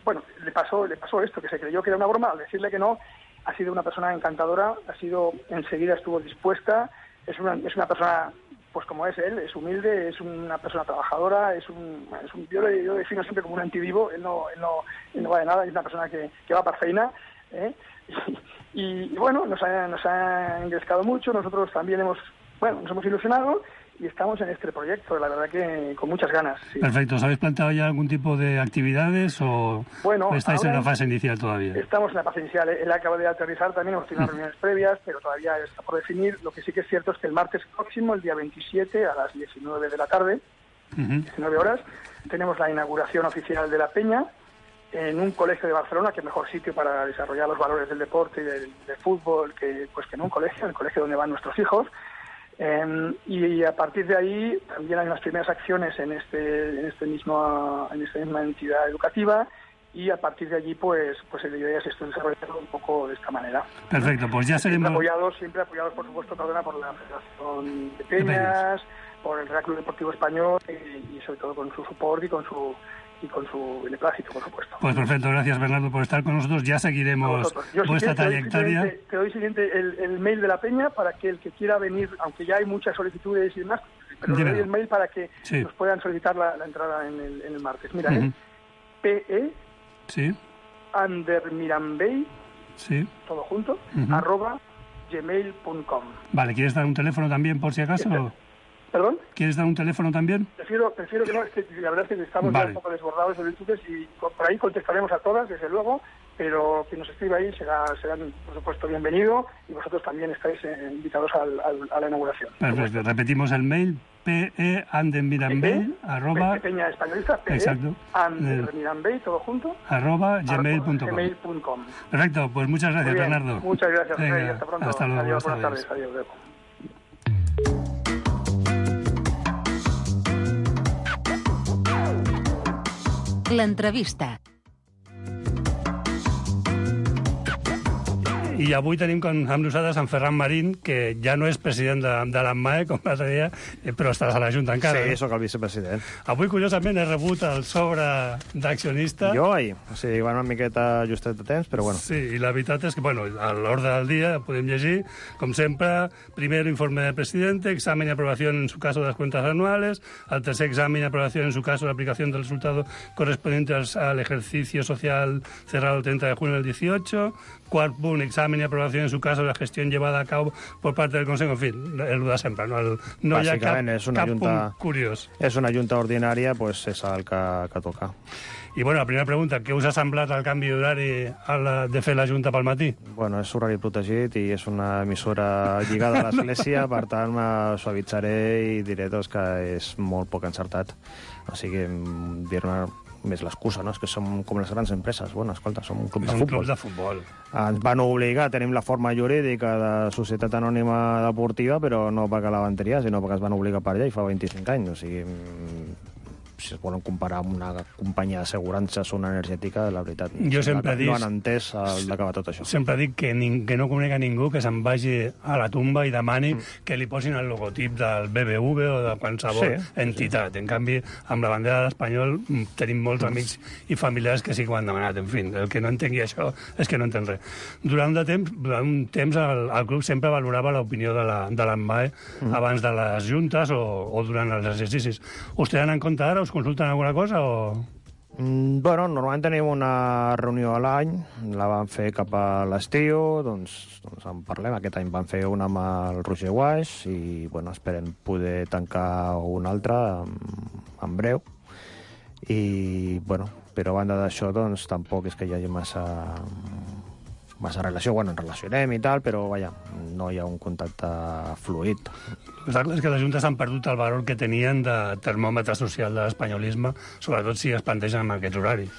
S13: bueno, le pasó, le pasó esto, que se creyó que era una broma. Al decirle que no, ha sido una persona encantadora, ha sido, enseguida estuvo dispuesta. Es una, es una persona, pues como es él, es humilde, es una persona trabajadora, es un, es un yo le yo defino siempre como un antivivo, él no, él no, él no va de nada, es una persona que, que va para feina, ¿eh? y, y bueno, nos ha, nos ha engrescado mucho, nosotros también hemos, bueno, nos hemos ilusionado y estamos en este proyecto, la verdad que con muchas ganas. Sí.
S5: Perfecto, ¿os habéis planteado ya algún tipo de actividades o
S13: bueno,
S5: estáis en la fase inicial todavía?
S13: Estamos en la fase inicial, él acaba de aterrizar, también hemos tenido reuniones previas, pero todavía está por definir. Lo que sí que es cierto es que el martes próximo, el día veintisiete, a las diecinueve de la tarde, uh-huh. diecinueve horas, tenemos la inauguración oficial de la Peña en un colegio de Barcelona, que es mejor sitio para desarrollar los valores del deporte y del, del fútbol que pues que en un colegio, en el colegio donde van nuestros hijos. Eh, y a partir de ahí también hay unas primeras acciones en este, en este mismo, en esta misma entidad educativa, y a partir de allí pues pues la idea es esto desarrollarlo un poco de esta manera.
S5: Perfecto, pues ya seguimos.
S13: Siempre apoyados, siempre apoyados por supuesto, perdona, por la Federación de Peñas, por el Real Club Deportivo Español y, y sobre todo con su soporte y con su y con su beneplácito, por supuesto.
S5: Pues perfecto, gracias Bernardo por estar con nosotros. Ya seguiremos vuestra
S13: si
S5: trayectoria.
S13: Te, te doy siguiente el, el mail de la Peña para que el que quiera venir, aunque ya hay muchas solicitudes y demás, pero le doy el mail para que sí. nos puedan solicitar la, la entrada en el, en el martes. Mira, uh-huh. es P E
S5: sí.
S13: andermirambey,
S5: sí.
S13: todo junto,
S5: uh-huh.
S13: arroba gmail punto com.
S5: Vale, ¿quieres dar un teléfono también por si acaso?
S13: Este, ¿Perdón?
S5: ¿Quieres dar un teléfono también?
S13: Prefiero, prefiero que no, es que la verdad es que estamos
S5: vale.
S13: ya un poco desbordados de solicitudes y por ahí contestaremos a todas, desde luego, pero quien nos escriba ahí será, serán, por supuesto, bienvenido, y vosotros también estáis eh, invitados al, al, a la inauguración.
S5: Perfecto, repetimos el mail, pe andermirambey, arroba...
S13: Peña Españolista, pe andermirambey, todo junto,
S5: arroba gmail punto
S13: com.
S5: Perfecto, pues muchas gracias, Bernardo.
S13: Muchas gracias,
S5: Venga,
S13: Rey, hasta pronto.
S5: Hasta luego.
S13: Adiós, buenas tardes. Adiós, adiós.
S3: L'entrevista.
S5: I avui tenim com, amb nosaltres en Ferran Marín, que ja no és president de, de l'AMMAE, com l'altre dia, però estàs a la Junta encara.
S14: Sí,
S5: no?
S14: sóc el vicepresident.
S5: Avui, curiosament, he rebut el sobre d'accionista.
S14: Jo ahir. O sigui, va una miqueta justet de temps, però bueno.
S5: Sí, i la veritat és que, bueno, a l'ordre del dia podem llegir, com sempre, primero informe del presidente, examen y aprobación en su caso de las cuentas anuales, al tercer examen y aprobación en su caso de aplicación del resultado correspondiente al, al ejercicio social cerrado el treinta de junio del dieciocho, cuarto punt, examen y aprobación en su caso de la gestión llevada a cabo por parte del Consejo, en fin, el de sempre, no, el, no hi ha cap, cap
S14: junta,
S5: punt curiós.
S14: És una junta ordinària, pues és el que, que toca.
S5: I bueno, la primera pregunta, què us ha semblat el canvi d'horari de fer la Junta pel matí?
S14: Bueno, és horari protegit i és una emissora lligada a l'Església, per tant, me suavitzaré i diré doncs, que és molt poc encertat. O sigui, dir-me més l'excusa, no? És que som com les grans empreses. Bueno, escolta, som un club de
S5: futbol.
S14: futbol.
S5: Club de futbol.
S14: Ens van obligar, tenim la forma jurídica de societat anònima deportiva, però no perquè la van triar, sinó perquè es van obligar per allà i fa vint-i-cinc anys. O sigui, si es volen comparar amb una companyia d'assegurances o una energètica, la veritat,
S5: jo sempre
S14: no,
S5: dic,
S14: no han entès el d'acabar tot això.
S5: Sempre dic que, ning, que no conec a ningú que se'n vagi a la tumba i demani mm. que li posin el logotip del B B V o de qualsevol sí, entitat. Sí. En canvi, amb la bandera de l'Espanyol tenim molts amics i familiars que sí que ho han demanat. En fi, el que no entengui això és que no entén res. Durant, de temps, durant un temps el, el club sempre valorava l'opinió de l'AMMAE mm. abans de les juntes o, o durant els exercicis. Us tenen en compte ara? Us consulten alguna cosa o...?
S14: Mm, bueno, normalment tenim una reunió a l'any, la vam fer cap a l'estiu, doncs, doncs en parlem. Aquest any vam fer una amb el Roger Guaix i bueno, esperem poder tancar una altra en, en breu. I, bueno, però a banda d'això, doncs, tampoc és que hi hagi massa... massa relació, bueno, ens relacionem i tal, però, vaja, no hi ha un contacte fluid.
S5: És que les juntes han perdut el valor que tenien de termòmetre social de l'espanyolisme, sobretot si es plantegen amb aquests horaris.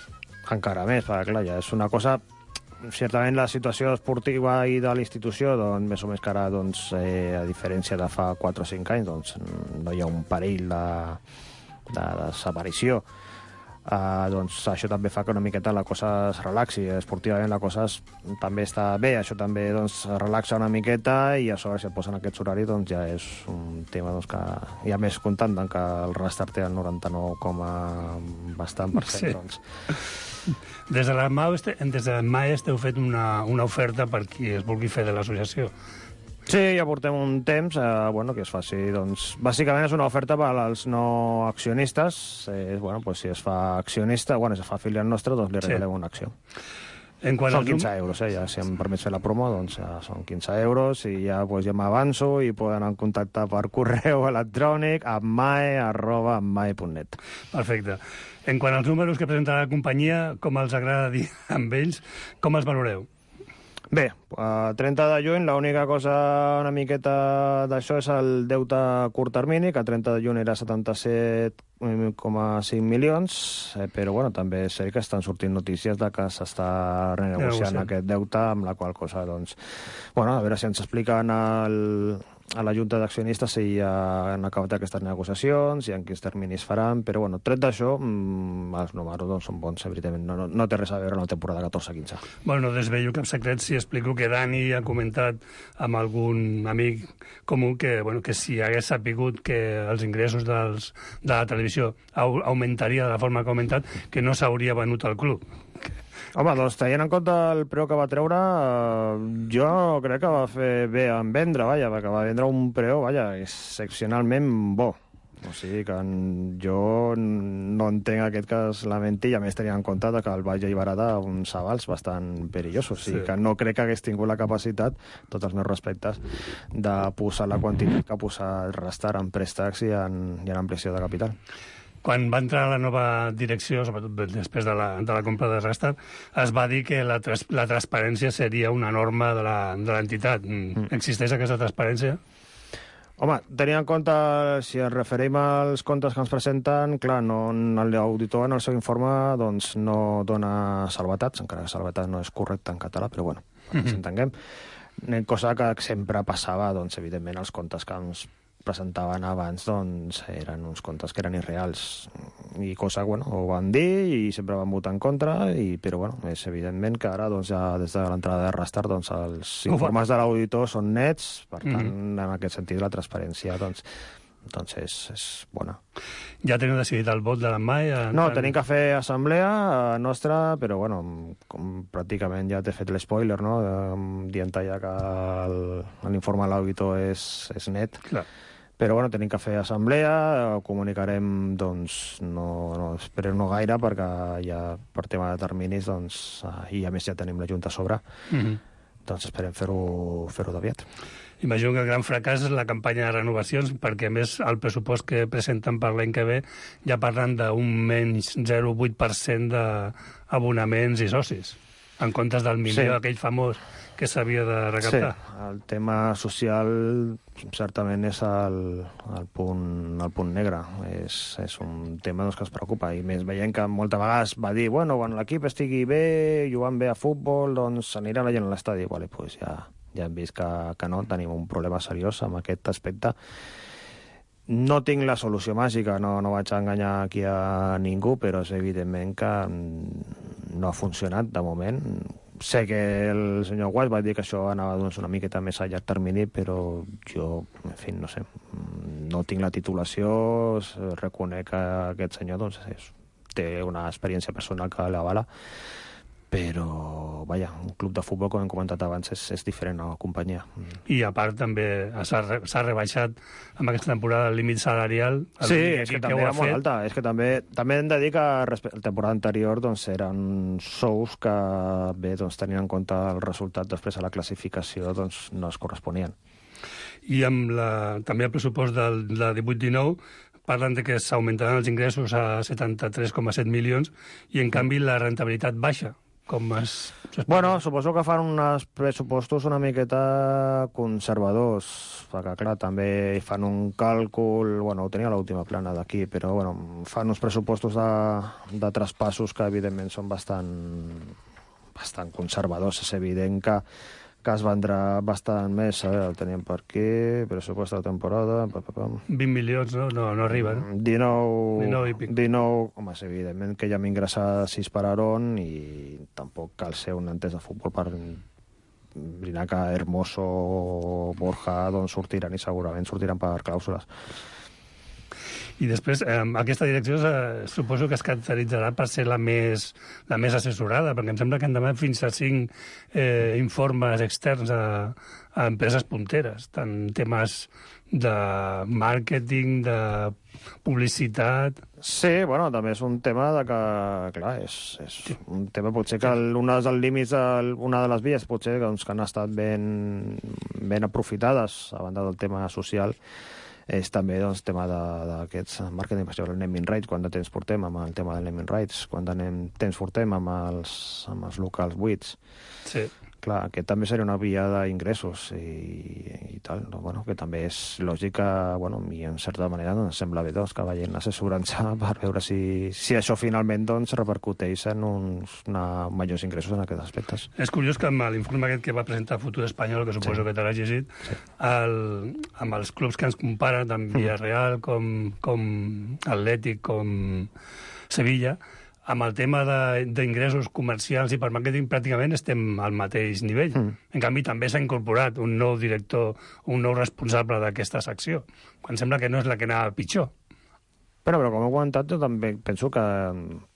S14: Encara més, perquè, clar, ja és una cosa... Certament la situació esportiva i de l'institució, doncs, més o més que ara, doncs, eh, a diferència de fa quatre o cinc anys, doncs, no hi ha un perill de, de desaparició. Uh, doncs això també fa que una miqueta la cosa es relaxi, esportivament la cosa es, també està bé, això també doncs, relaxa una miqueta i a sobre si et posen aquests horaris doncs ja és un tema doncs, que hi ha més comptant que el Restart té el noranta-nou coma bastant per cent. Sí. Doncs.
S5: Des de l'AMMAE esteu fet una, una oferta per qui es vulgui fer de l'associació.
S14: Sí, ja portem un temps, eh, bueno, que es faci, doncs, bàsicament és una oferta per als no accionistes, eh, bueno, pues si es fa accionista, bueno, si es fa afiliat nostre, doncs li regalem sí. una acció.
S5: En
S14: són quinze euros, eh, ja, si em permets fer la promo, doncs ja són quinze euros i ja, pues, ja m'avanço i poden contactar per correu electrònic ammae arroba ammae punt net.
S5: Perfecte. En quant als números que presenta la companyia, com els agrada dir amb ells, com els valoreu?
S14: Bé, a trenta de juny l'única cosa una miqueta d'això és el deute a curt termini, que a trenta de juny era setanta-set coma cinc milions, eh, però bueno, també sé que estan sortint notícies de que s'està renegociant aquest deute, amb la qual cosa, doncs, bueno, a veure si ens expliquen el, a la Junta d'Accionistes si ja han acabat aquestes negociacions, si en quins terminis faran, però bueno, tret d'això, mmm, els números doncs, són bons, evidentment, no, no, no té res a veure amb la temporada catorze quinze.
S5: Bueno, no desvello cap secret si explico que Dani ha comentat amb algun amic comú que, bueno, que si hagués sapigut que els ingressos dels, de la televisió au, augmentaria de la forma que ha augmentat, que no s'hauria venut al club.
S14: Home, doncs tenint en compte el preu que va treure, eh, jo crec que va fer bé en vendre, vaja, perquè va vendre un preu, vaja, excepcionalment bo. O sigui que jo no entenc aquest cas lamenti, i a més tenint en compte que el vaig alliberar d'uns avals bastant perillosos. O sigui que no crec que hagués tingut la capacitat, tots els meus respectes, de posar la quantitat que ha posat Rastar en préstecs i en, i en ampliació de capital.
S5: Quan va entrar la nova direcció, sobretot després de la, de la compra de Rastar, es va dir que la, tras, la transparència seria una norma de l'entitat. Mm. Existeix aquesta transparència?
S14: Home, tenint en compte, si ens referim als comptes que ens presenten, clar, no, l'auditor en el seu informe doncs, no dona salvetats, encara que salvetat no és correcte en català, però bueno, mm-hmm. ens entenguem. Cosa que sempre passava, doncs, evidentment, els comptes que ens presentaven abans, doncs, eren uns comptes que eren irreals. I cosa, bueno, ho van dir i sempre van votar en contra, i, però, bueno, és evidentment que ara, doncs, ja des de l'entrada de Rastar, doncs, els informes de l'auditor són nets, per tant, mm-hmm. en aquest sentit, la transparència, doncs, doncs és, és bona.
S5: Ja teniu decidit el vot de l'Emma? Ja...
S14: No, tenim que fer assemblea nostra, però, bueno, com pràcticament ja t'he fet l'espoiler, no?, dient ja que l'informe de l'auditor és, és net.
S5: Clar.
S14: Però, bueno, tenim que fer assemblea, ho comunicarem, doncs, no, no esperem no gaire, perquè ja per tema de terminis, doncs, i a més ja tenim la Junta a sobre, mm-hmm. doncs esperem fer-ho fer-ho d'aviat.
S5: Imagino que el gran fracàs és la campanya de renovacions, perquè, a més, el pressupost que presenten per l'any que ve ja parlen d'un menys zero coma vuit per cent d'abonaments i socis, en comptes del milió, sí. aquell famós que s'havia de recaptar.
S14: Sí, el tema social certament és el, el, punt, el punt negre. És, és un tema doncs, que ens preocupa. I més veient que moltes vegades va dir bueno, quan l'equip estigui bé, jugant bé a futbol, doncs anirà la gent a l'estadi. Vale, pues ja, ja hem vist que, que no, tenim un problema seriós amb aquest aspecte. No tinc la solució màgica, no, no vaig enganyar aquí a ningú, però és evidentment que no ha funcionat de moment. Sé que el senyor Guas va dir que això anava doncs, una miqueta més a llarg termini, però jo, en fi, no sé, no tinc la titulació, reconec que aquest senyor doncs, és, té una experiència personal que l'avala, però, vaja, un club de futbol, com hem comentat abans, és, és diferent a la companyia.
S5: I, a part, també s'ha re, rebaixat amb aquesta temporada el límit salarial. El
S14: sí, és que, que també era molt alta. És que també, també hem de dir que respecte a la temporada anterior doncs, eren sous que, bé, doncs, tenint en compte el resultat després a la classificació, doncs, no es corresponien.
S5: I amb la, també el pressupost del, de divuit dinou parlen de que s'augmentaran els ingressos a setanta-tres coma set milions i, en canvi, la rentabilitat baixa. Com es...
S14: Bueno, suposo que fan uns pressupostos una miqueta conservadors, perquè, clar, també fan un càlcul... Bueno, ho tenia a l'última plana d'aquí, però, bueno, fan uns pressupostos de, de traspassos que, evidentment, són bastant, bastant conservadors. És evident que, que es vendrà bastant més, eh? El teníem per aquí, pressupost de la temporada... Pa, pa, pa.
S5: vint milions, no? No, no arriba, no?
S14: dinou...
S5: dinou i pic.
S14: dinou, home, és evidentment que ja hem ingressat sis per Aarón i tampoc cal ser un entès de futbol per brindar que Hermoso o Borja doncs, sortiran i segurament sortiran per clàusules.
S5: I després, eh, aquesta direcció eh, suposo que es caracteritzarà per ser la més, la més assessorada, perquè em sembla que han demanat fins a cinc eh, informes externs a, a empreses punteres, tant temes de màrqueting, de publicitat...
S14: Sí, bueno, també és un tema de que, clar, és, és sí. un tema potser que el, un dels límits, el, una de les vies potser doncs, que han estat ben, ben aprofitades a banda del tema social, és també doncs, tema d'aquests màrqueting, per exemple, el naming rights, quant de temps portem amb el tema del naming rights, quant de temps portem amb els, amb els locals buits.
S5: Sí.
S14: clar, que també seria una via d'ingressos i, i tal, no? Bueno, que també és lògica, bueno, i en certa manera doncs, sembla bé doncs, que vagin assessorant-se per veure si, si això finalment doncs, repercuteix en uns una, majors ingressos en aquests aspectes.
S5: És curiós que amb l'informe aquest que va presentar Futur Espanyol, que suposo sí. que te l'has llegit, sí. el, amb els clubs que ens comparen, tant Villarreal com, com Atlètic, com Sevilla, amb el tema d'ingressos comercials i per màrqueting pràcticament estem al mateix nivell. Mm. En canvi, també s'ha incorporat un nou director, un nou responsable d'aquesta secció, quan sembla que no és la que anava pitjor.
S14: Però, però com he comentat, jo també penso que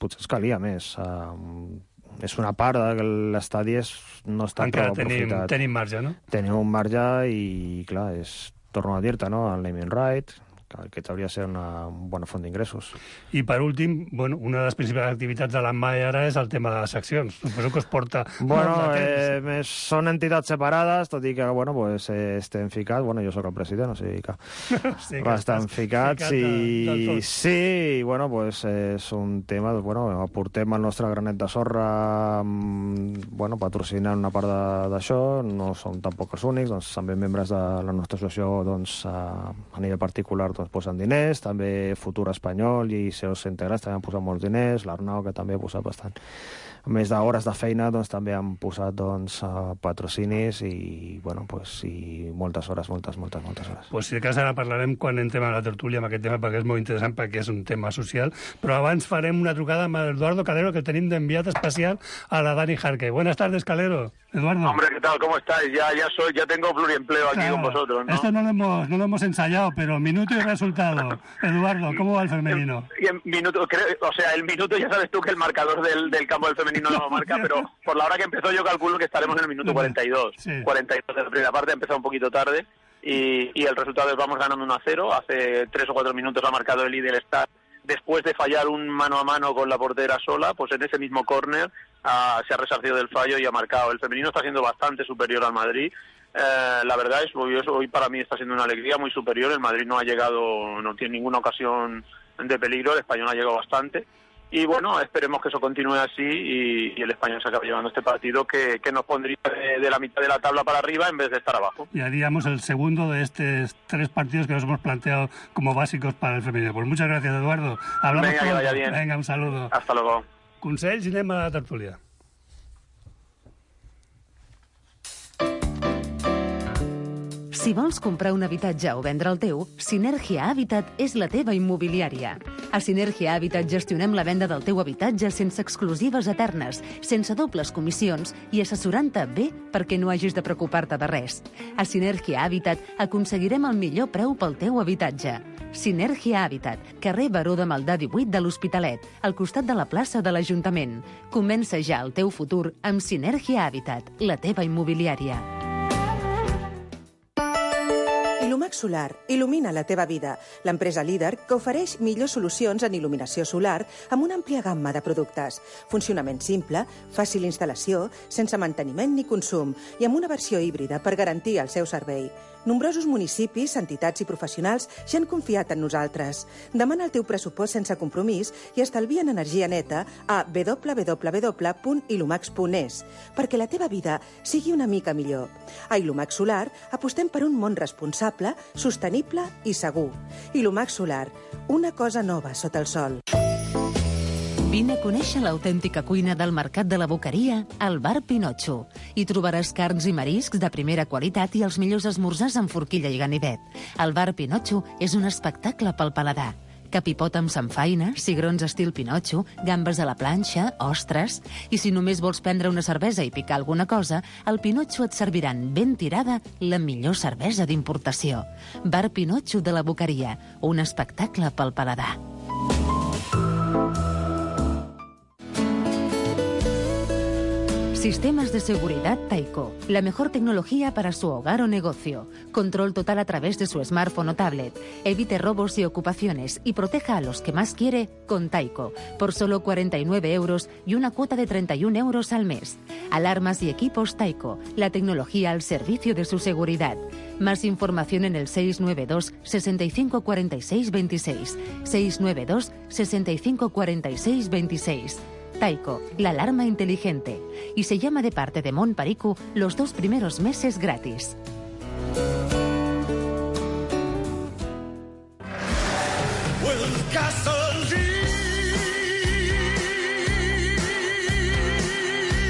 S14: potser es calia més. Uh, és una part de que l'estadi no està
S5: encara
S14: prou
S5: tenim,
S14: aprofitat.
S5: tenim marge, no?
S14: Tenim un marge i, clar, és, torno a dir-te, no?, el naming right, que aquest hauria de ser una bona font d'ingressos.
S5: I per últim, bueno, una de les principals activitats de l'Amai ara és el tema de les seccions. Suposo que us porta
S14: bueno,
S5: molt de temps.
S14: Eh, són entitats separades, tot i que, bueno, pues, eh, estem ficats, bueno, jo sóc el president, o sigui que,
S5: sí, que
S14: estan ficats
S5: ficat
S14: i
S5: de,
S14: sí, i, bueno, pues, és un tema, bueno, aportem el nostre granet de sorra, bueno, patrocinant una part d'això, no som tampoc els únics, doncs també membres de la nostra associació, doncs, a, a nivell particular, doncs, posen diners, també Futur Espanyol i S E Os integrats també han posat molts diners, l'Arnau, que també ha posat bastant. A més d'hores de feina, doncs, també han posat doncs, patrocinis i, bueno, pues, i moltes hores, moltes, moltes, moltes hores.
S5: Pues si de cas ara parlarem quan entrem a la tertúlia amb aquest tema, perquè és molt interessant, perquè és un tema social, però abans farem una trucada amb Eduardo Calero, que tenim d'enviat especial a la Dani Jarque. Buenas tardes, Calero. Eduardo.
S15: Hombre, ¿qué tal? ¿Cómo estáis? Ya, ya soy, ya tengo pluriempleo aquí claro, con vosotros, ¿no?
S5: Esto no lo hemos, no lo hemos ensayado, pero minuto y resultado. Eduardo, ¿cómo va el femenino?
S15: Y en minuto, creo, o sea, el minuto ya sabes tú que el marcador del, del campo del femenino no lo marca, pero por la hora que empezó yo calculo que estaremos en el minuto cuarenta y dos. Sí. cuarenta y dos de la primera parte, ha empezado un poquito tarde y, y el resultado es vamos ganando uno a cero. Hace tres o cuatro minutos ha marcado el líder Star. Después de fallar un mano a mano con la portera sola, pues en ese mismo córner uh, se ha resarcido del fallo y ha marcado. El femenino está siendo bastante superior al Madrid. Eh, la verdad es que hoy, hoy para mí está siendo una alegría muy superior. El Madrid no ha llegado, no tiene ninguna ocasión de peligro, el español ha llegado bastante. Y bueno, esperemos que eso continúe así y, y el español se acabe llevando este partido que, que nos pondría de, de la mitad de la tabla para arriba en vez de estar abajo.
S5: Y haríamos el segundo de estos tres partidos que nos hemos planteado como básicos para el femenino. Pues muchas gracias, Eduardo. Hablamos
S15: Venga, que vaya bien.
S5: Venga, un saludo.
S15: Hasta luego.
S5: Consells i anem a la tertúlia.
S3: Si vols comprar un habitatge o vendre el teu, Sinergia Habitat és la teva immobiliària. A Sinergia Habitat gestionem la venda del teu habitatge sense exclusives eternes, sense dobles comissions i assessorant-te bé perquè no hagis de preocupar-te de res. A Sinergia Habitat aconseguirem el millor preu pel teu habitatge. Sinergia Habitat, carrer Baró de Maldà divuit de l'Hospitalet, al costat de la plaça de l'Ajuntament. Comença ja el teu futur amb Sinergia Habitat, la teva immobiliària.
S8: Ilumax Solar il·lumina la teva vida. L'empresa líder que ofereix millors solucions en il·luminació solar amb una àmplia gamma de productes. Funcionament simple, fàcil instal·lació, sense manteniment ni consum i amb una versió híbrida per garantir el seu servei. Nombrosos municipis, entitats i professionals ja han confiat en nosaltres. Demana el teu pressupost sense compromís i estalvia en energia neta a w w w punt ilumax punt es perquè la teva vida sigui una mica millor. A Ilumax Solar apostem per un món responsable, sostenible i segur. Ilumax Solar, una cosa nova sota el sol.
S3: Vine a conèixer l'autèntica cuina del Mercat de la Boqueria al Bar Pinotxo. Hi trobaràs carns i mariscs de primera qualitat i els millors esmorzars amb forquilla i ganivet. El Bar Pinotxo és un espectacle pel paladar. Capipot amb samfaina, cigrons estil Pinotxo, gambes a la planxa, ostres... I si només vols prendre una cervesa i picar alguna cosa, al Pinotxo et serviran ben tirada la millor cervesa d'importació. Bar Pinotxo de la Boqueria, un espectacle pel paladar. Sistemas de seguridad Taiko. La mejor tecnología para su hogar o negocio. Control total a través de su smartphone o tablet. Evite robos y ocupaciones y proteja a los que más quiere con Taiko. Por solo cuarenta y nueve euros y una cuota de treinta y un euros al mes. Alarmas y equipos Taiko. La tecnología al servicio de su seguridad. Más información en el seis nueve dos, sesenta y cinco, cuarenta y seis, veintiséis. seis nueve dos, sesenta y cinco, cuarenta y seis, veintiséis. Taiko, la alarma inteligente. Y se llama de parte de Mon Perico los dos primeros meses gratis.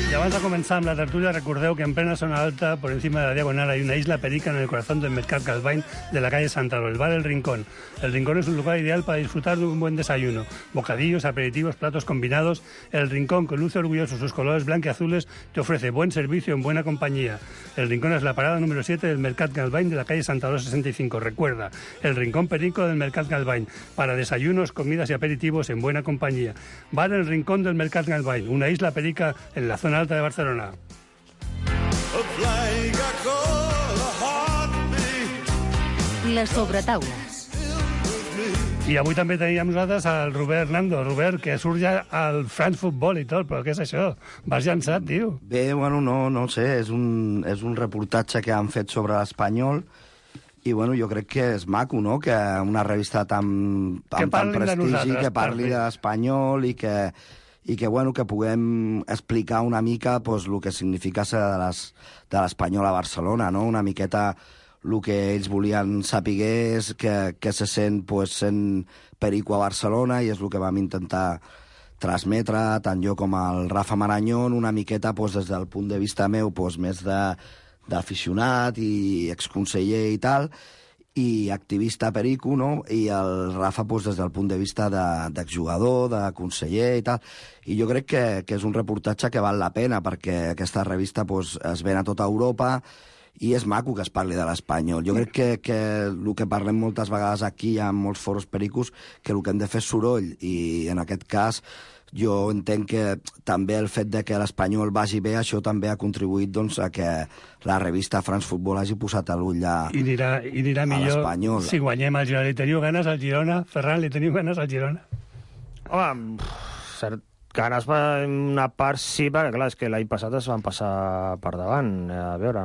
S5: Y abans de començar amb la tertúlia, recordeu que en plena zona alta, por encima de la diagonal, hay una isla perica en el corazón del Mercat Galvany de la calle Santaro, el bar El Rincón. El Rincón es un lugar ideal para disfrutar de un buen desayuno. Bocadillos, aperitivos, platos combinados. El Rincón, que luce orgulloso sus colores blanqueazules, te ofrece buen servicio en buena compañía. El Rincón es la parada número siete del Mercat Galvany de la calle Santaro sesenta y cinco. Recuerda, el Rincón Perico del Mercat Galvany, para desayunos, comidas y aperitivos en buena compañía. Bar El Rincón del Mercat Galvany, una isla perica en la zona alta de Barcelona.
S3: La sobretaula.
S5: I avui també teníem nosaltres el Robert Nando. Robert, que surt ja al France Football i tot, però què és això? Vas llançat, tio.
S12: Bé, bueno, no, no sé, és un, és un reportatge que han fet sobre l'Espanyol i, bueno, jo crec que és maco, no?, que una revista tan, amb tant prestigi, que parli de l'Espanyol i que, i que, bueno, que puguem explicar una mica pues, el que significa ser de l'Espanyol a Barcelona, no?, una miqueta el que ells volien saber és que, que se sent pues, sent Perico a Barcelona i és el que vam intentar transmetre, tant jo com el Rafa Marañón, una miqueta pues, des del punt de vista meu pues, més d'aficionat i exconseller i tal, i activista Perico, no? I el Rafa pues, des del punt de vista d'exjugador, de, de conseller i tal. I jo crec que, que és un reportatge que val la pena perquè aquesta revista pues, es ven a tota Europa i és maco que es parli de l'Espanyol. Jo crec que, que el que parlem moltes vegades aquí, hi ha molts foros pericos, que el que hem de fer és soroll, i en aquest cas jo entenc que també el fet de que l'Espanyol vagi bé, això també ha contribuït doncs, a que la revista France Football hagi posat l'ull a,
S5: I anirà, i anirà millor si guanyem el Girona. Li teniu ganes al Girona? Ferran, li teniu ganes al Girona?
S14: Home, cert, ganes per una part sí, perquè clar, és que l'any passat es van passar per davant. A veure,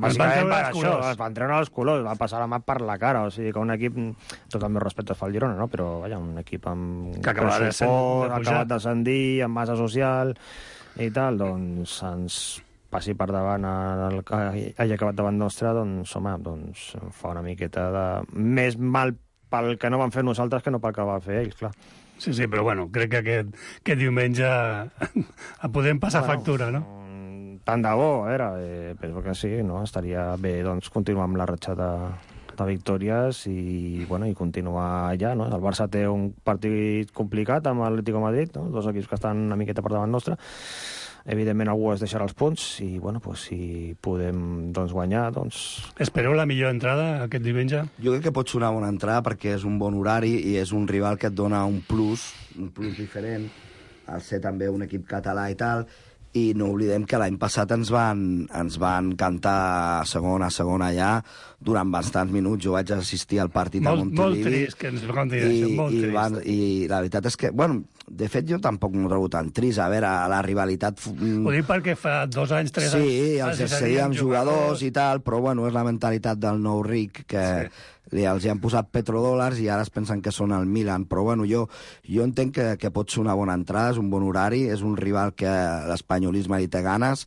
S14: bàsicament per això, es van treure els colors, van passar la mà per la cara, o sigui que un equip, tot el meu respecte fa el Girona, no? Però vaja, un equip amb
S5: que acaba de
S14: suport, ha acabat d'ascendir, amb massa social i tal, doncs ens passi per davant el que hagi acabat davant nostre, doncs home, doncs fa una miqueta de més mal pel que no van fer nosaltres que no pel que va fer ells, clar.
S5: Sí, sí, però bueno, crec que aquest, aquest diumenge podem passar bueno, factura, no?
S14: Tant de bo, era, eh, penso que sí, no? Estaria bé doncs, continuar amb la ratxa de, de victòries i, bueno, i continuar allà, no? El Barça té un partit complicat amb l'Atlético de Madrid, no? Dos equips que estan una miqueta per davant nostre. Evidentment algú es deixarà els punts i, bueno, pues, si podem doncs, guanyar, doncs...
S5: Espereu la millor entrada aquest diumenge?
S12: Jo crec que pot ser una bona entrada perquè és un bon horari i és un rival que et dona un plus, un plus diferent, al ser també un equip català i tal, i no oblidem que l'any passat ens van, ens van cantar a segona, a segona allà, durant bastants minuts. Jo vaig assistir al partit
S5: molt,
S12: a Montilivi.
S5: Molt trist que ens conti això, molt
S12: i,
S5: trist.
S12: Van, I la veritat és que, bueno, de fet jo tampoc m'ho trobo tan trist. A veure, la rivalitat...
S5: Ho dic perquè fa dos anys, tres anys...
S12: Sí, els accedíem jugadors i tal, però bueno, és la mentalitat del nou ric que... Sí. Els hi han posat petrodòlars i ara es pensen que són el Milan, però bueno, jo, jo entenc que, que pot ser una bona entrada, és un bon horari, és un rival que l'espanyolisme li té ganes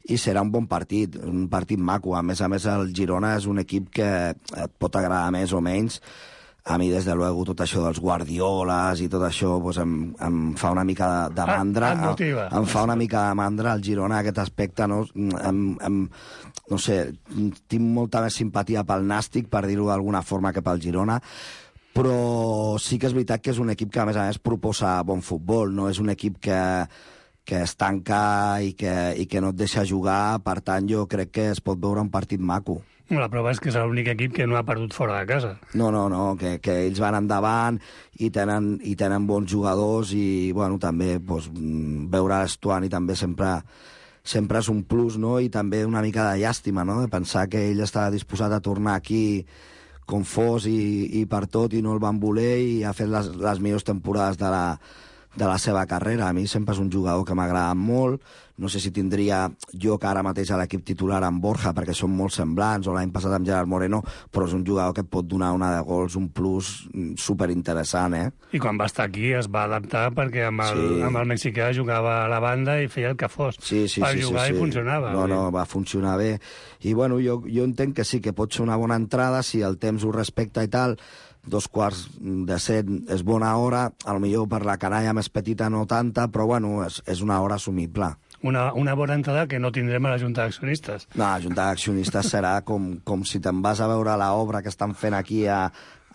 S12: i serà un bon partit, un partit maco. A més a més, el Girona és un equip que et pot agradar més o menys. A mi, des de luego, tot això dels Guardioles i tot això pues, em, em fa una mica de, de mandra.
S5: Ah, em,
S12: em fa una mica de mandra el Girona, aquest aspecte, no? Em, em, no sé, tinc molta més simpatia pel Nàstic, per dir-ho d'alguna forma, que pel Girona, però sí que és veritat que és un equip que, a més a més, proposa bon futbol, no és un equip que, que es tanca i que, i que no et deixa jugar, per tant, jo crec que es pot veure un partit maco.
S5: La prova és que és l'únic equip que no ha perdut fora de casa.
S12: No, no, no, que, que ells van endavant i tenen, i tenen bons jugadors i, bueno, també pues, veure l'Estuani també sempre, sempre és un plus, no? I també una mica de llàstima, no? De pensar que ell estava disposat a tornar aquí com fos i, i per tot i no el van voler i ha fet les, les millors temporades de la, de la seva carrera. A mi sempre és un jugador que m'agrada molt. No sé si tindria jo que ara mateix a l'equip titular amb Borja, perquè són molt semblants, o l'any passat amb Gerard Moreno, però és un jugador que et pot donar una de gols, un plus superinteressant, eh?
S5: I quan va estar aquí es va adaptar perquè amb el, sí. amb el mexicà jugava a la banda i feia el que fos.
S12: Sí, sí,
S5: per
S12: sí,
S5: jugar
S12: sí, sí.
S5: I funcionava.
S12: No, no, va funcionar bé. I bueno, jo, jo entenc que sí, que pot ser una bona entrada, si el temps ho respecta i tal. Dos quarts de set és bona hora, a lo millor per la canalla més petita no tanta, però bueno, és, és una hora assumible.
S5: Una, una bona entrada que no tindrem a la Junta d'Accionistes.
S12: No, la Junta d'Accionistes serà com, com si te'n vas a veure l'obra que estan fent aquí a,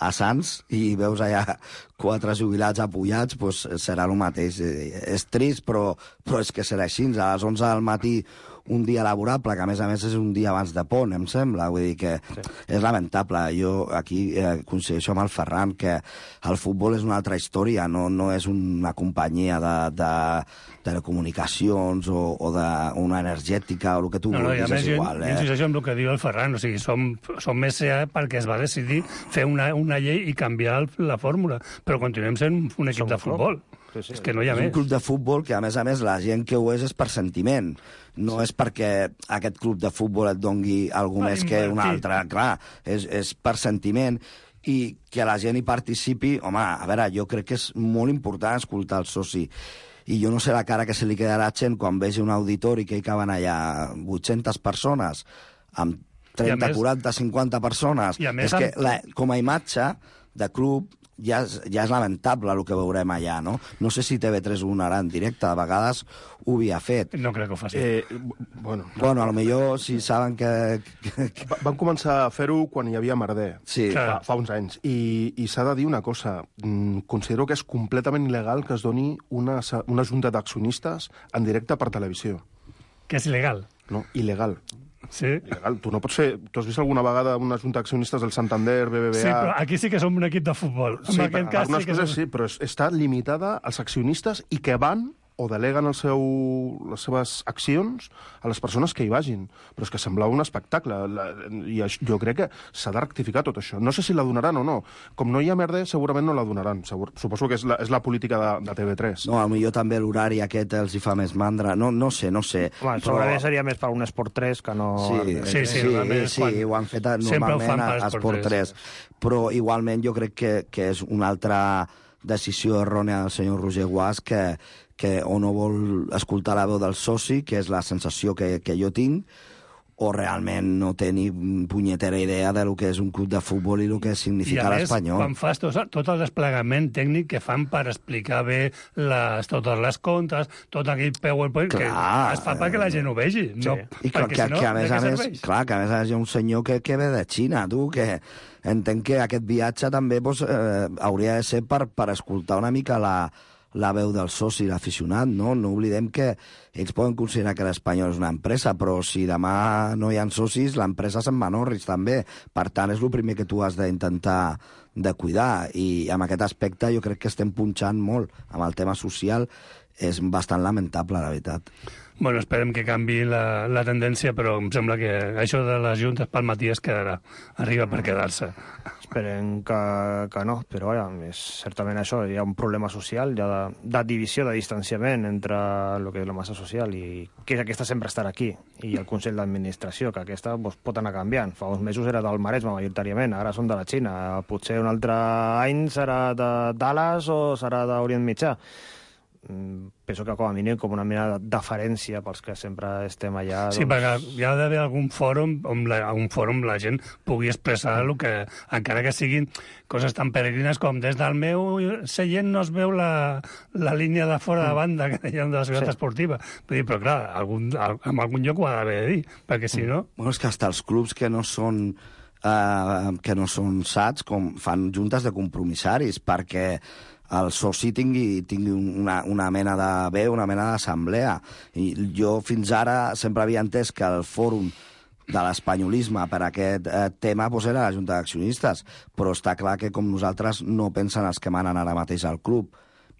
S12: a Sants i veus allà quatre jubilats apoyats, doncs serà el mateix. És trist, però, però és que serà així. A les onze del matí un dia laborable, que a més a més és un dia abans de pont, em sembla. Vull dir que sí. És lamentable. Jo aquí eh, coincideixo amb el Ferran, que el futbol és una altra història, no, no és una companyia de, de telecomunicacions o, o d'una energètica o el que tu
S5: no, no,
S12: vulguis,
S5: més,
S12: és igual.
S5: Jo,
S12: eh?
S5: jo insisteixo en el que diu el Ferran, o sigui, som, som més C A perquè es va decidir fer una, una llei i canviar el, la fórmula, però continuem sent un equip som de futbol. Sí, sí. És que no hi ha
S12: és
S5: més.
S12: Un club de futbol que, a més a més, la gent que ho és és per sentiment. No sí. és perquè aquest club de futbol et dongui alguna més que un altre. Clar, és, és per sentiment. I que la gent hi participi, home, a veure, jo crec que és molt important escoltar el soci. I jo no sé la cara que se li queda a la gent quan vegi un auditori que hi caben allà vuit-centes persones, amb trenta, quaranta, cinquanta persones. És que la, com a imatge de club ja és, ja és lamentable el que veurem allà, no? No sé si T V tres ho donarà en directe, de vegades ho havia fet.
S5: No crec que ho faci.
S9: Eh, bueno,
S12: bueno, potser si saben que... que...
S9: Van començar a fer-ho quan hi havia merder,
S12: sí.
S9: fa, fa uns anys. I, i s'ha de dir una cosa, considero que és completament il·legal que es doni una, una junta d'accionistes en directe per televisió.
S5: Que és il·legal?
S9: No, il·legal.
S5: Sí.
S9: Il·legal. Tu no pots fer... Tu has vist alguna vegada una junta d'accionistes del Santander, B B V A...
S5: Sí, però aquí sí que som un equip de futbol.
S9: Sí,
S5: en aquest cas sí que
S9: coses
S5: som...
S9: sí, però està limitada als accionistes i que van o deleguen el seu, les seves accions a les persones que hi vagin. Però és que semblava un espectacle. La, I jo crec que s'ha de rectificar tot això. No sé si la donaran o no. Com no hi ha merda, segurament no la donaran. Segur, suposo que és la, és la política de, de T V tres.
S12: No, potser també l'horari aquest els hi fa més mandra. No, no sé, no sé.
S14: Home, però... Segurament seria més per un Esport tres que no...
S12: Sí, sí, sí, sí, sí quan... ho han fet normalment a Esport tres. Però igualment jo crec que, que és una altra decisió errònia del senyor Roger Guas que que o no vol escoltar la veu del soci, que és la sensació que, que jo tinc, o realment no té ni punyetera idea de lo que és un club de futbol i el que significa l'Espanyol.
S5: I a més, quan fas tot, tot el desplegament tècnic que fan per explicar bé les, totes les comptes, tot aquell PowerPoint, clar, que es fa perquè la gent ho vegi. Sí. No,
S12: I que, que, si no, que, a més a més, clar, que a més a més hi ha un senyor que, que ve de Xina, tu, que entenc que aquest viatge també doncs, eh, hauria de ser per, per escoltar una mica la la veu del soci, l'aficionat, no? No oblidem que ells poden considerar que l'Espanyol és una empresa, però si demà no hi ha socis, l'empresa se'n va Norris també. Per tant, és el primer que tu has d'intentar de cuidar, i amb aquest aspecte jo crec que estem punxant molt amb el tema social. És bastant lamentable, la veritat.
S5: Bueno, esperem que canvi la, la tendència, però em sembla que això de les juntes pel matí es quedarà. Arriba per quedar-se.
S14: Esperem que, que no, però ja, és certament això. Hi ha un problema social, hi ha de, de divisió, de distanciament entre el que és la massa social i que aquesta sempre estarà aquí, i el Consell d'Administració, que aquesta doncs, pot anar canviant. Fa uns mesos era del Maresme, majoritàriament, ara són de la Xina. Potser un altre any serà de Dallas o serà d'Orient Mitjà. Penso que com a mínim com una mena de deferència pels que sempre estem allà.
S5: Sí,
S14: doncs...
S5: perquè hi ha d'haver algun fòrum on la, un fòrum la gent pugui expressar el que, encara que siguin coses tan peregrines com des del meu seient no es veu la, la línia de fora de banda que deien de la ciutat sí. esportiva. Vull dir, però clar, algun, en algun lloc ho ha d'haver de dir, perquè si no...
S12: Bueno, és que hasta els clubs que no són eh, que no són sats com fan juntes de compromissaris perquè el soci tingui, tingui una, una mena de veu, una mena d'assemblea. I jo fins ara sempre havia entès que el fòrum de l'espanyolisme per aquest eh, tema doncs era la Junta d'Accionistes, però està clar que com nosaltres no pensen els que manen ara mateix al club.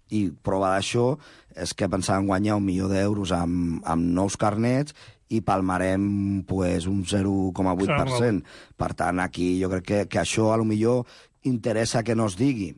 S12: I prova d'això és que pensaven guanyar un milió d'euros amb, amb nous carnets i palmarem pues, un zero coma vuit per cent. Per tant, aquí jo crec que, que això a lo millor interessa que no es digui.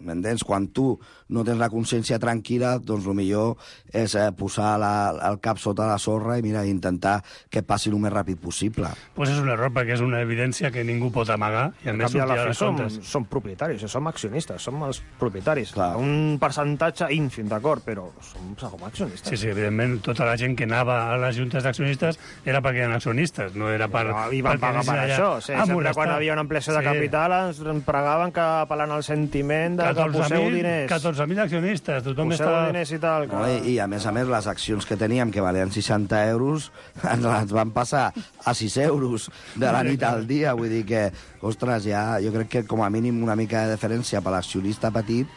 S12: m'entens? Quan tu no tens la consciència tranquil·la, doncs el millor és eh, posar la, el cap sota la sorra i mira, intentar que passi el més ràpid possible.
S5: Pues és un error, perquè és una evidència que ningú pot amagar i a més sortir a les
S14: som,
S5: comptes.
S14: som propietaris, som accionistes, som els propietaris. Clar. Un percentatge ínfim, d'acord, però som, som accionistes.
S5: Sí, sí, evidentment, tota la gent que anava a les juntes d'accionistes era perquè eren accionistes, no era per...
S14: No, I van pagar per allà. això, sí, sempre molestar. Quan havia una ampliació de sí. capital ens pregaven que apel·lant al sentiment de que poseu diners.
S5: catorze mil accionistes, tothom
S14: poseu
S5: estava...
S14: diners i tal. Que...
S12: No, i, I a més a més, les accions que teníem, que valien seixanta euros, ens les van passar a sis euros de la nit al dia. Vull dir que, ostres, ja, jo crec que com a mínim una mica de diferència per l'accionista petit.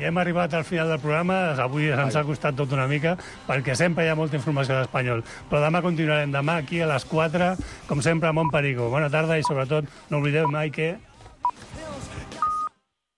S5: I hem arribat al final del programa. Avui ens ha costat tot una mica, perquè sempre hi ha molta informació d'espanyol. Però demà continuarem. Demà aquí a les quatre, com sempre, a Montperico. Bona tarda i, sobretot, no oblideu mai que